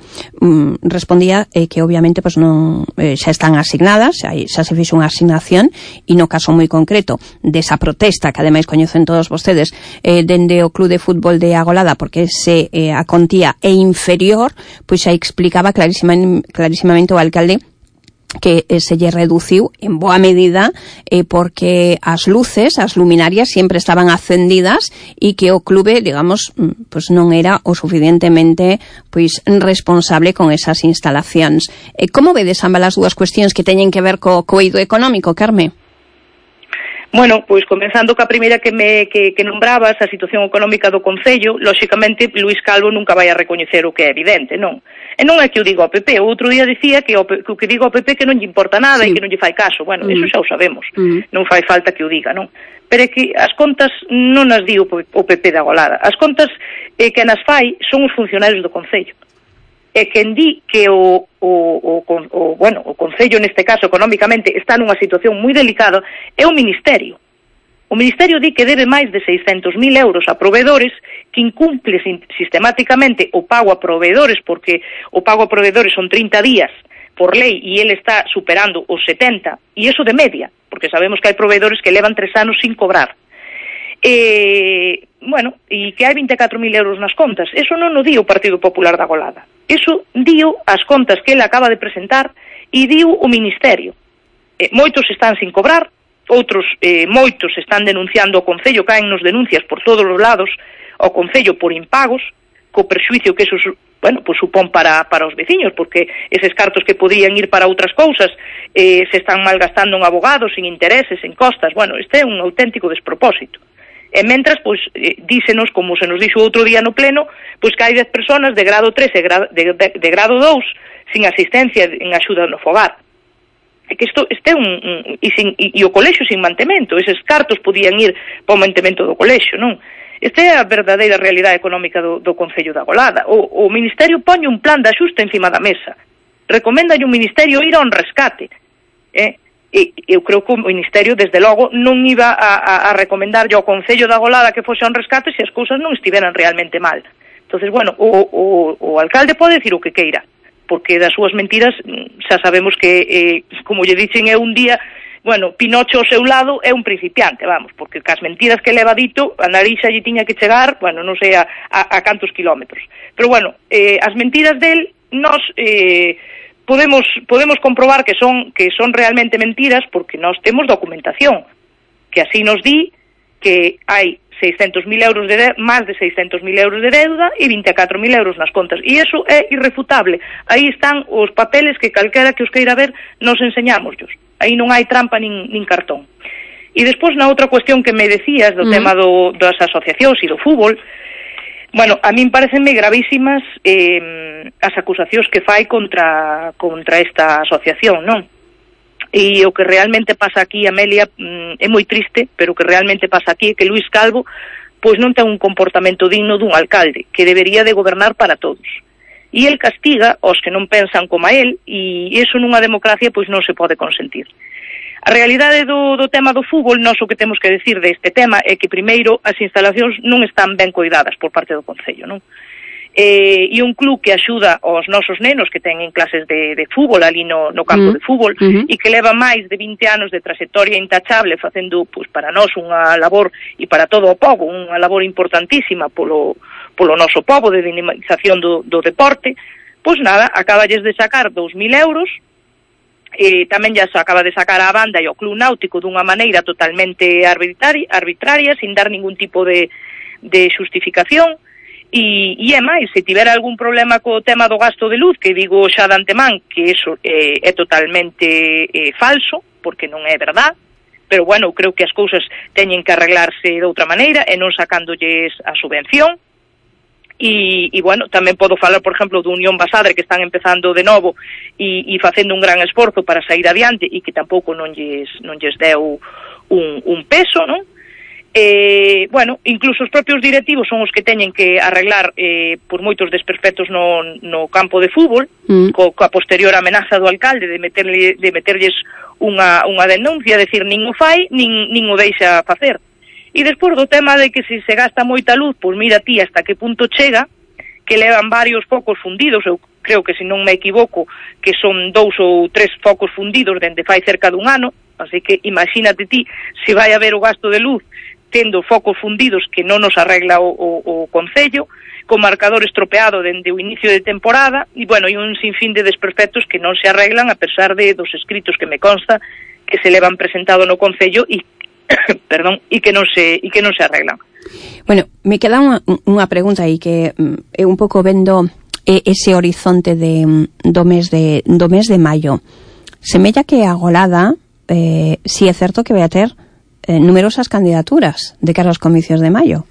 Respondía que obviamente pois non xa están asignadas, xa se fixo unha asignación, e no caso moi concreto desa protesta que ademais coñecen todos vostedes dende o Club de Fútbol de Agolada, porque a contía é inferior, pois xa explicaba clarísimamente o alcalde que se lle reduciu en boa medida porque as luces, as luminarias sempre estaban acendidas e que o clube, digamos, pois non era o suficientemente pois responsable con esas instalacións. Como vedes ambas as dúas cuestións que teñen que ver co eido económico, Carme? Bueno, pois comenzando ca primeira que nombrabas, a situación económica do Concello, lóxicamente Luís Calvo nunca vai a recoñecer o que é evidente, non? E non é que o digo ao PP, o outro día dicía que o que digo ao PP que non lle importa nada e que non lle fai caso. Bueno, eso xa o sabemos, non fai falta que o diga, non? Pero é que as contas non as di o PP da Agolada, as contas que nas fai son os funcionarios do Concello. E quen di que o Concello, neste caso, económicamente, está nunha situación moi delicada, é o Ministerio. O Ministerio di que debe máis de 600.000 euros a proveedores, que incumple sistemáticamente o pago a proveedores, porque o pago a proveedores son 30 días por lei e ele está superando os 70, e eso de media, porque sabemos que hai proveedores que levan 3 anos sin cobrar. Bueno, e que hai 24.000 euros nas contas. Eso non o di o Partido Popular da Agolada. Eso dio as contas que ele acaba de presentar e dio o Ministerio. Moitos están sin cobrar, outros moitos están denunciando o Concello, caen nos denuncias por todos os lados ao Concello por impagos, co perxuicio que eso, bueno, pues supón para os veciños, porque eses cartos que podían ir para outras cousas se están malgastando en abogados, en intereses, en costas. Bueno, este é un auténtico despropósito. E mentras, pois, dísenos, como se nos dixo outro día no pleno, pois que hai 10 personas de grado 3 e de grado 2 sin asistencia en axuda no fogar. É que isto é e o colexio sin mantemento, eses cartos podían ir para o mantemento do colexio, non? Esta é a verdadeira realidade económica do Concello da Agolada. O Ministerio pone un plan de axuste encima da mesa. Recoméndalle un Ministerio ir a un rescate. Eu creo que o Ministerio, desde logo, non iba a recomendarlle ao Concello da Agolada que fose a un rescate se as cousas non estiveran realmente mal. Entonces, bueno, o alcalde pode decir o que queira, porque das súas mentiras xa sabemos que, como lle dicen, é un día, bueno, Pinocho ao seu lado é un principiante, vamos, porque cas mentiras que leva dito, a narixa lle tiña que chegar, bueno, non sei a cantos kilómetros. Pero, bueno, as mentiras del, nós podemos comprobar que son realmente mentiras porque nós temos documentación, que así nos di que hai 600.000 euros máis de 600.000 euros de deuda e 24.000 euros nas contas. E iso é irrefutable. Aí están os papeles que calquera que os queira ver nos enseñámoslos. Aí non hai trampa nin cartón. E despois, na outra cuestión que me decías do tema das asociacións e do fútbol, bueno, a min parecenme gravísimas as acusacións que fai contra esta asociación, non? E o que realmente pasa aquí, Amelia, é moi triste, pero o que realmente pasa aquí é que Luís Calvo pois non ten un comportamento digno dun alcalde, que debería de gobernar para todos. E el castiga aos que non pensan como a él, e iso nunha democracia pois non se pode consentir. A realidade do tema do fútbol, nós o que temos que decir deste tema é que primeiro as instalacións non están ben coidadas por parte do Concello, non? E un club que axuda aos nosos nenos que teñen clases de fútbol ali no campo de fútbol e que leva máis de 20 anos de trayectoria intachable facendo pois para nós unha labor e para todo o pobo, unha labor importantísima polo noso pobo de dinamización do deporte, pois nada, acaballes de sacar 2.000 euros, e tamén ya se acaba de sacar a banda e o club náutico dunha maneira totalmente arbitraria, sin dar ningún tipo de xustificación. E é máis, se tivera algún problema co tema do gasto de luz, que digo xa de antemán que eso é totalmente falso, porque non é verdad, pero bueno, creo que as cousas teñen que arreglarse de outra maneira e non sacándolles a subvención. E bueno, tamén podo falar, por exemplo, do Unión Basadre, que están empezando de novo e facendo un gran esforzo para sair adiante e que tampouco non lles deu un peso, non? incluso os propios directivos son os que teñen que arreglar por moitos desperfectos no campo de fútbol, coa posterior amenaza do alcalde de meterlles unha denuncia, decir, nin o fai, nin o deixa facer. E despois do tema de que se gasta moita luz, pois mira ti hasta que punto chega, que levan varios focos fundidos, eu creo que, se non me equivoco, que son 2 ou 3 focos fundidos dende fai cerca dun ano, así que imagínate ti se vai haber o gasto de luz tendo focos fundidos que non nos arregla o Concello, con marcador estropeado dende o inicio de temporada, e un sinfín de desperfectos que non se arreglan a pesar dos escritos que me consta que se levan presentado no Concello e que non se arreglan. Bueno, me queda unha pregunta aí que é un pouco vendo ese horizonte do mes de maio. Semella que a Agolada si é certo que vai a ter numerosas candidaturas de cara aos comicios de maio.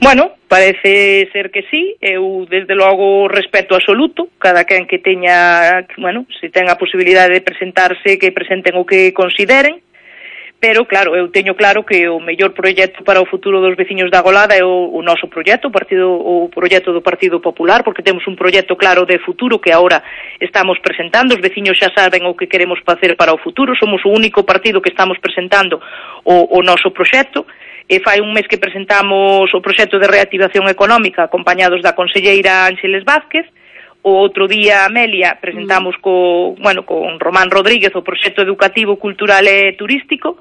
Bueno, parece ser que sí. Eu, desde logo, respeto absoluto. Cada quen que teña, se ten a posibilidade de presentarse, que presenten o que consideren. Pero, claro, eu teño claro que o mellor proxecto para o futuro dos veciños da Agolada é o noso proxecto, o proxecto do Partido Popular, porque temos un proxecto claro de futuro que agora estamos presentando. Os veciños xa saben o que queremos facer para o futuro. Somos o único partido que estamos presentando o noso proxecto. Fai un mes que presentamos o proxecto de reactivación económica acompañados da conselleira Ángeles Vázquez. O outro día, Amelia, presentamos con Román Rodríguez o proxecto educativo, cultural e turístico.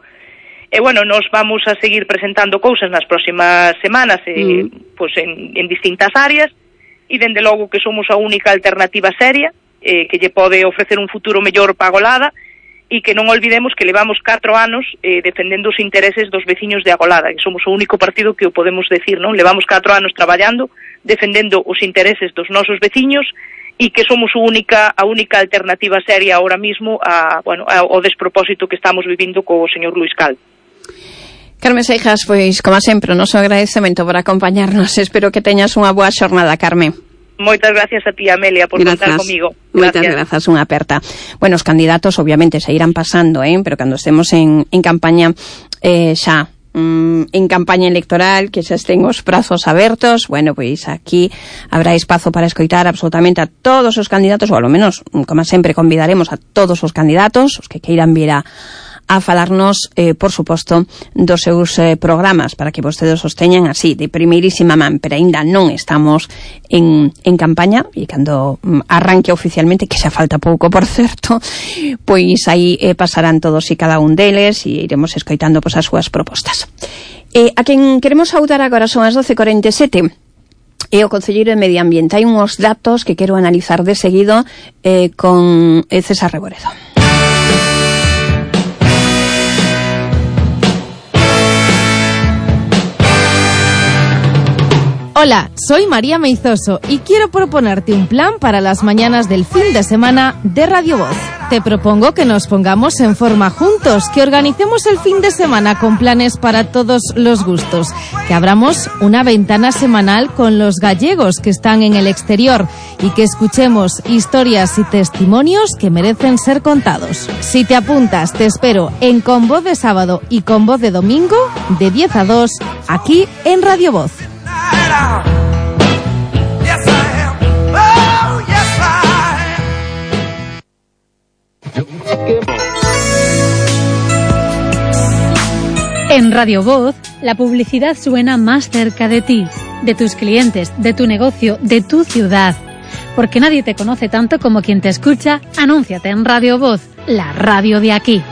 Nos vamos a seguir presentando cousas nas próximas semanas en distintas áreas, e dende logo que somos a única alternativa seria que lle pode ofrecer un futuro mellor para Agolada, e que non olvidemos que levamos 4 anos defendendo os intereses dos veciños de Agolada, que somos o único partido que o podemos decir, non? Levamos 4 anos traballando, defendendo os intereses dos nosos veciños, e que somos a única alternativa seria ahora mismo ao despropósito que estamos vivindo co señor Luís Cal. Carmen Seijas, pois, como sempre, o noso agradecemento por acompañarnos. Espero que teñas unha boa xornada, Carmen. Moitas gracias a ti, Amelia, por contar comigo. Moitas grazas, unha aperta. Bueno, os candidatos obviamente se irán pasando, pero cando estemos en campaña xa en campaña electoral, que xa estén os prazos abertos, pois aquí habrá espazo para escoitar absolutamente a todos os candidatos, ou ao menos, como sempre, convidaremos a todos os candidatos, os que queiran vir a falarnos, por suposto, dos seus programas, para que vostedes os teñan así, de primeirísima man, pero aínda non estamos en campaña, e cando arranque oficialmente, que xa falta pouco, por certo, pois aí pasarán todos e cada un deles, e iremos escoitando as súas propostas. A quen queremos saudar agora son as 12:47, e o concelleiro de Medio Ambiente. Hai uns datos que quero analizar de seguido con César Reboredo. Hola, soy María Meizoso y quiero proponerte un plan para las mañanas del fin de semana de Radio Voz. Te propongo que nos pongamos en forma juntos, que organicemos el fin de semana con planes para todos los gustos, que abramos una ventana semanal con los gallegos que están en el exterior y que escuchemos historias y testimonios que merecen ser contados. Si te apuntas, te espero en Con Voz de sábado y Con Voz de domingo, de 10 a 2, aquí en Radio Voz. En Radio Voz, la publicidad suena más cerca de ti, de tus clientes, de tu negocio, de tu ciudad. Porque nadie te conoce tanto como quien te escucha. Anúnciate en Radio Voz, la radio de aquí.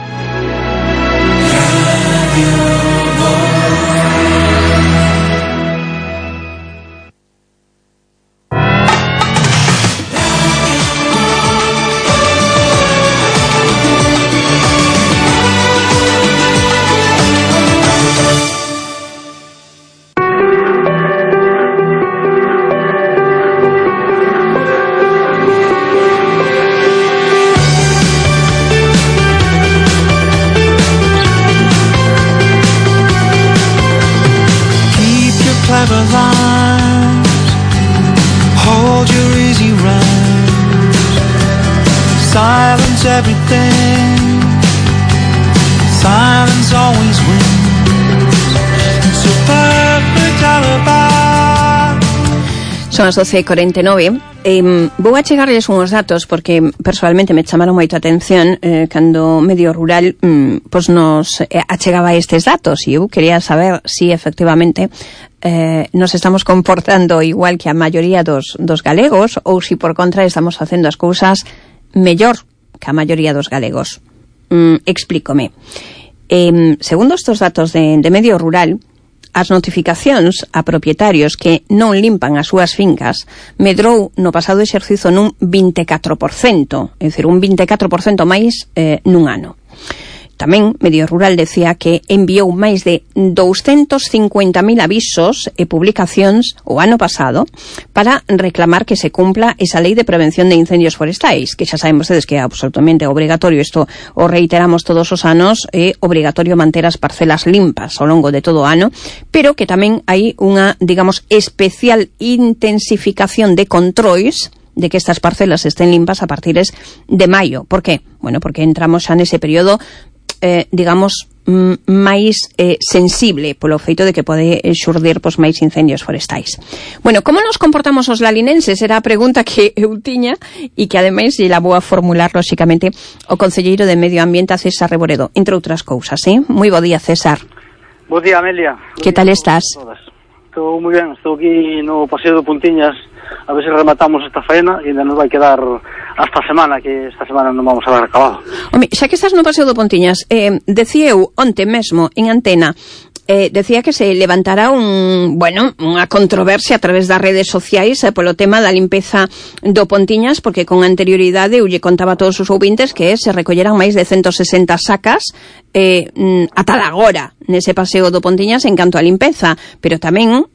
Everything, silence always wins. Son as 12:49. Vou a chegarles uns datos porque personalmente me chamaron moito a atención cando Medio Rural pois nos achegaba estes datos e eu quería saber si efectivamente nos estamos comportando igual que a maioría dos galegos ou si por contra estamos facendo as cousas mellor que a maioría dos galegos. Explícome. Segundo estes datos de Medio Rural, as notificacións a propietarios que non limpan as súas fincas medrou no pasado exercizo nun 24%, é dicir, un 24% máis nun ano. Tamén Medio Rural decía que enviou máis de 250.000 avisos e publicacións o ano pasado para reclamar que se cumpla esa lei de prevención de incendios forestais, que xa saben vostedes que é absolutamente obrigatorio, isto o reiteramos todos os anos, é obrigatorio manter as parcelas limpas ao longo de todo o ano, pero que tamén hai unha, digamos, especial intensificación de controis de que estas parcelas estén limpas a partir de maio. Por qué? Bueno, porque entramos xa nese período digamos, máis sensible polo feito de que pode xurdir pois, máis incendios forestais. Bueno, como nos comportamos os lalinenses? Era a pregunta que eu tiña e que ademais lle vou a formular lóxicamente o concelleiro de Medio Ambiente, César Reboredo, entre outras cousas, Moi bo día, César. Bo día, Amelia. Que tal estás? Estou moi ben, estou aquí no Paseo de Puntiñas, a ver se rematamos esta faena e ainda nos vai quedar hasta a semana, que esta semana non vamos a ver acabado. Home, xa que estás no Paseo de Puntiñas, decía eu onte mesmo en antena, decía que se levantará unha controversia a través das redes sociais polo tema da limpeza do Pontiñas, porque con anterioridade eu lle contaba a todos os ouvintes que se recolleran máis de 160 sacas ata agora nese Paseo do Pontiñas en canto a limpeza, pero tamén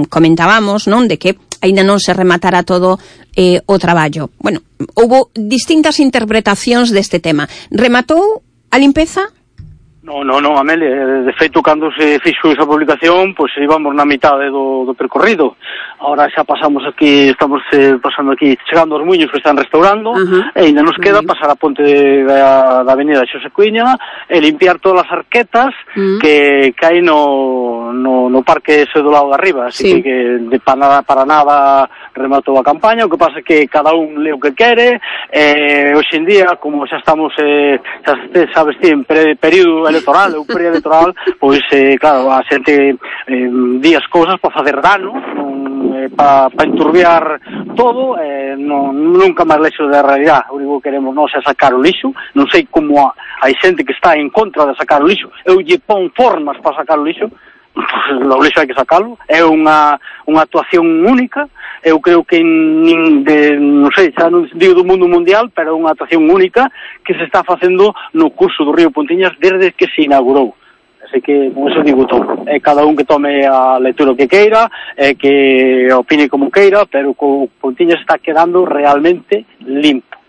comentábamos, non, de que aínda non se rematara todo o traballo. Bueno, houbo distintas interpretacións deste tema. Rematou a limpeza? Non, Amelia, de feito, cando se fixo esa publicación, pois íbamos na mitade do percorrido. Ahora xa pasamos aquí, estamos pasando aquí, chegando aos muiños que están restaurando, e ainda nos queda pasar a ponte da avenida Xosé Cuiña e limpiar todas as arquetas que hai no parque ese do lado de arriba, así que para nada rematou a campaña. O que pasa é que cada un lee o que quere, hoxe en día, como xa estamos, xa sabes ti, en período electoral ou preelectoral, pois claro, a xente di as cousas para facer dano, para enturbiar todo, nunca máis lexo da realidade. O único que queremos nós é sacar o lixo. Non sei como hai xente que está en contra de sacar o lixo. Eu lle pon formas para sacar o lixo, o lixo hai que sacalo. É unha actuación única. Eu creo que non sei, xa non digo do mundo mundial, pero é unha actuación única que se está facendo no curso do río Pontiñas desde que se inaugurou. Así que, con eso digo todo. É cada un que tome a lectura que queira, que opine como queira, pero o Pontiñas está quedando realmente limpo.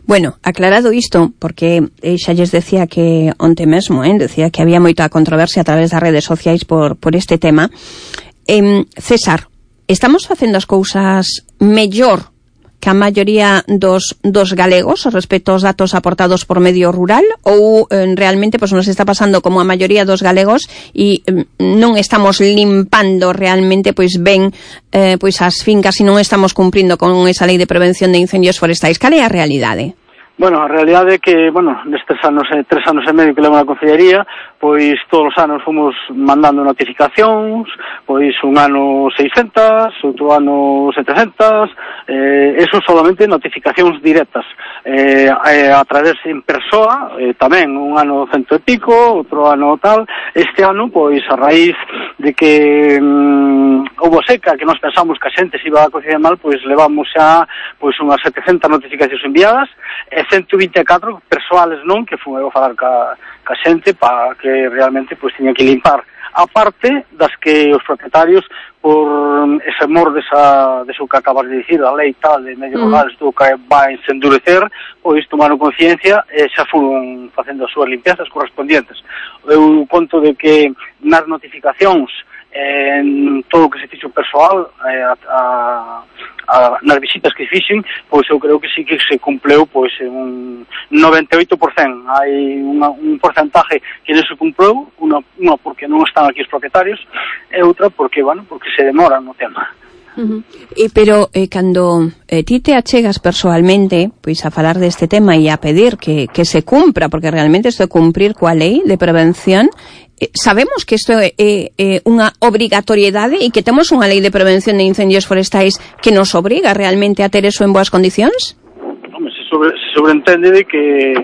Bueno, aclarado isto, porque xa lles decía que onte mesmo, decía que había moita controversia a través das redes sociais por este tema. César, estamos facendo as cousas mellor que a maioría dos galegos respecto aos datos aportados por Medio Rural, ou realmente nos está pasando como a maioría dos galegos e non estamos limpando realmente ben as fincas e non estamos cumprindo con esa lei de prevención de incendios forestais? Cal é a realidade? Bueno, a realidade é que, nestes anos, 3 anos e medio que levo na Concellería, pois todos os anos fomos mandando notificacións, pois un ano 600, outro ano 700, eso solamente notificacións directas, a través en persoa, tamén un ano 100 e pico, outro ano tal. Este ano, pois a raíz de que houve seca, que nós pensamos que a xente se iba a cocinar mal, pois levamos xa pois unhas 700 notificacións enviadas, 124 persoales non, que fui eu a falar ca xente para que realmente pois tiña que limpar, a parte das que os propietarios por ese mor deso que acabas de dicir, a lei tal de Medio Rural isto que vai se endurecer, pois tomaron conciencia e xa foron facendo as súas limpiezas correspondientes. Eu conto de que nas notificacións en todo o que se fixo persoal nas visitas que fixen, pois eu creo que sí que se cumpleu pois un 98%. Hai un porcentaje que non se cumpleu, unha porque non están aquí os propietarios, e outra porque, porque se demora no tema. Pero cando ti te achegas persoalmente pois a falar deste tema e a pedir que se cumpra, porque realmente isto é cumprir coa lei de prevención, sabemos que isto é unha obrigatoriedade e que temos unha lei de prevención de incendios forestais que nos obriga realmente a ter eso en boas condicións? Se sobreentende de que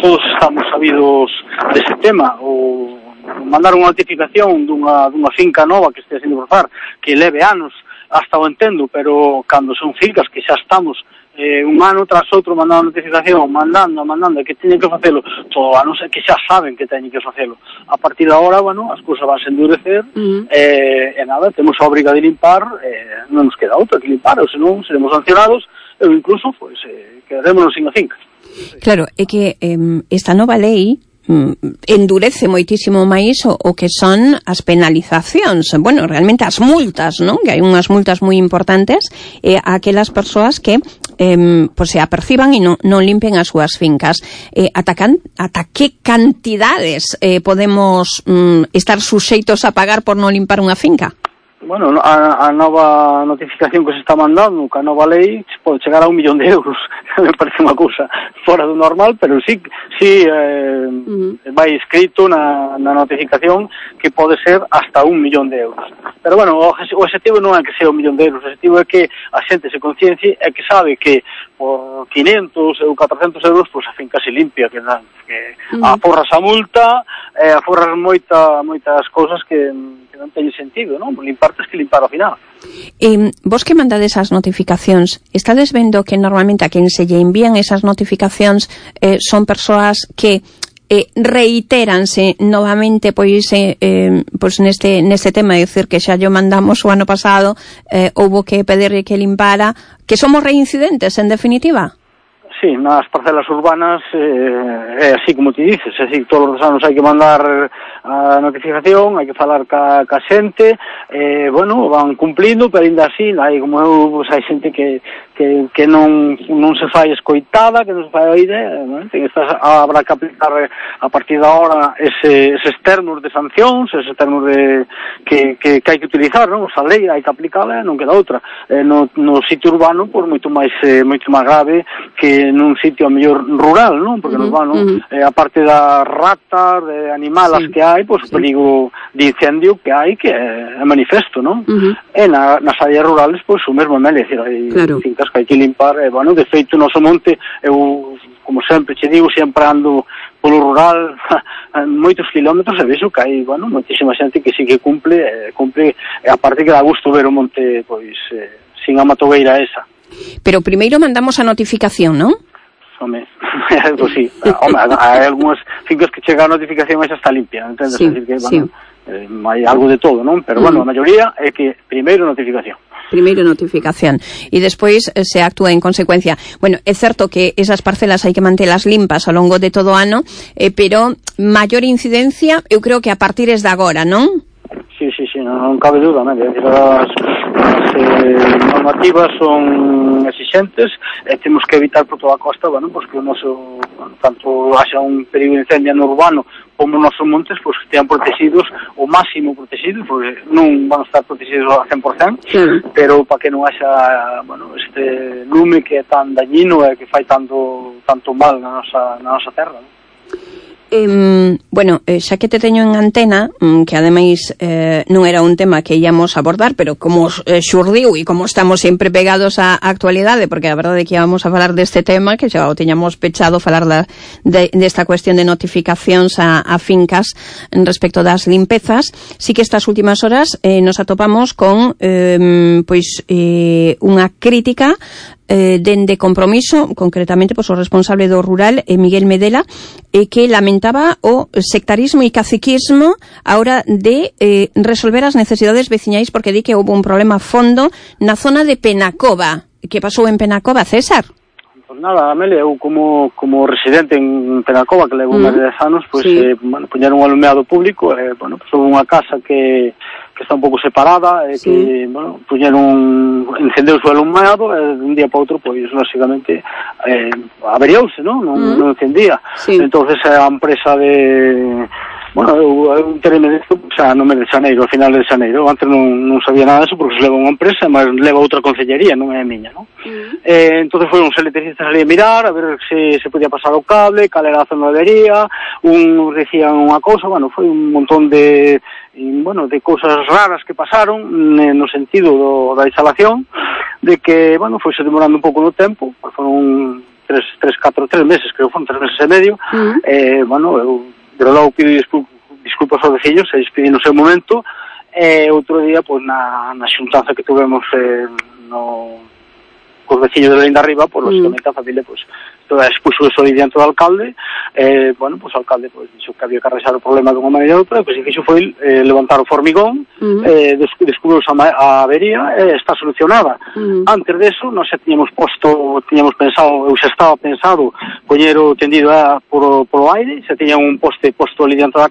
todos estamos sabidos dese tema, ou mandar unha notificación dunha finca nova que estea sendo forzar, que leve anos, hasta o entendo, pero cando son fincas que xa estamos un ano tras outro mandando notificación, mandando, que teñen que facelo todo ano, que xa saben que teñen que facelo. A partir de agora, bueno, as cousas van a endurecer, e nada, temos a obriga de limpar, non nos queda outra que limpar, ou senón seremos sancionados, ou incluso, pois, quedarémonos sin a finca. Claro, é que esta nova lei endurece moitísimo máis o que son as penalizacións, bueno, realmente as multas, non? Que hai unhas multas moi importantes a aquelas persoas que pues se aperciban e non limpen as súas fincas. Ata que cantidades podemos estar suxeitos a pagar por non limpar unha finca? Bueno, a nova notificación que se está mandando, que a nova lei, pode chegar a 1 millón de euros. Me parece unha cousa fora do normal, pero sí vai escrito na notificación que pode ser hasta 1 millón de euros. Pero bueno, o objetivo non é que sea 1 millón de euros, o objetivo é que a xente se conciencie e que sabe que por 500 ou 400 euros pues a finca se limpia, que aforras a multa, aforras moitas cousas que non teñen sentido, non? Limpar tens que limpar ao final. Vos que mandades as notificacións, estades vendo que normalmente a quen se lle envían esas notificacións son persoas que reiteranse novamente pois neste tema, é dicir que xa yo mandamos o ano pasado, houbo que pedirle que limpara, que somos reincidentes en definitiva? Sí, nas parcelas urbanas é así como te dices, é así, todos os anos hai que mandar a notificación, hai que falar ca xente, bueno, van cumplindo, pero ainda así, hai como eu, pues, hai xente que non se fai escoitada, que non se fai oíde, habrá que aplicar a partir de ahora eses termos de sancións, eses termos que hai que utilizar, non? A lei hai que aplicala, non queda outra. No sitio urbano, por moito máis grave que nun sitio a mellor rural, non? Porque no urbano, a parte das ratas, de animalas que hai, pois o perigo de incendio que hai, que é manifesto, non? E nas áreas rurales, pois o mesmo, é dicir, hai fincas que hai que limpar, bueno, de feito, no noso monte, eu, como sempre che digo, sempre ando polo rural moitos kilómetros e vexo que hai, bueno, moitísima xente que sí que cumple, e aparte que dá gusto ver o monte, pois, sin a matogueira esa. Pero primeiro mandamos a notificación, non? Home, pues sí. Home, hai algunhas fincas que chega a notificación e xa está limpia, entendes? Sí, decir que, bueno, hai algo de todo, non? Pero, bueno, a maioría é que primeiro notificación. Primeiro notificación e despois se actúa en consecuencia. Bueno, é certo que esas parcelas hai que mantelas limpas ao longo de todo o ano, pero maior incidencia eu creo que a partir de agora, non? Sí, non cabe dúda, non? As normativas son exigentes e temos que evitar por toda a costa, bueno, pues que o noso, tanto haxa un perigo de incendio no urbano como nos nosos montes, pues que estean protegidos o máximo protegidos, porque non van a estar protegidos ao 100%, pero para que non haxa, bueno, este lume que é tan dañino e que fai tanto mal na nosa terra, non? Bueno, xa que te teño en antena, que ademais non era un tema que íamos abordar, pero como xurdiu e como estamos sempre pegados á actualidade, porque a verdade é que íbamos a falar deste tema, que xa o teñamos pechado, falar desta cuestión de notificacións a fincas respecto das limpezas, sí que estas últimas horas nos atopamos con unha crítica dende Compromiso, concretamente o responsable do rural, Miguel Medela, que lamentaba o sectarismo e caciquismo a hora de resolver as necesidades veciñais, porque di que houve un problema a fondo na zona de Penacova. Que pasou en Penacova, César? Pues nada, Amelia, eu como residente en Penacova, que levo máis de 10 anos, pues, bueno, poñeron un alumeado público, bueno, pues houve unha casa que está un pouco separada, que, bueno, encendeuse o alumeado, e de un día para outro, pois, lógicamente, averiouse, non encendía. Entonces, a empresa de Bueno, eu tereme disto xa no mes de xaneiro, ao final de xaneiro. Antes non sabía nada disso porque se leva unha empresa, mas leva outra concellería, non é a miña, non? Entonces foi uns electricistas ali a mirar, a ver se podía pasar o cable, cal era a zona de avería, decían unha cousa, bueno, foi un montón de cousas raras que pasaron no sentido da instalación, de que, bueno, foi se demorando un pouco no tempo, foron 3 meses, creo que foron 3 meses e medio, bueno, eu de logo pido disculpas aos veciños, se despedí no seu momento, outro día, pois, na xuntanza que tuvemos cos veciños de Linda Arriba, pois, lógicamente, a familia, pois, toda expuxo eso aí diante do alcalde, bueno, pois, o alcalde, pois, dixo que había que arrexar o problema dunha maneira ou outra, pois, o que fixo foi levantar o formigón, descubriu a avería, está solucionada. Antes deso, nós xa tiñamos pensado, eu xa estaba pensado, poñer o tendido polo aire, xa tiña un posto ali diante da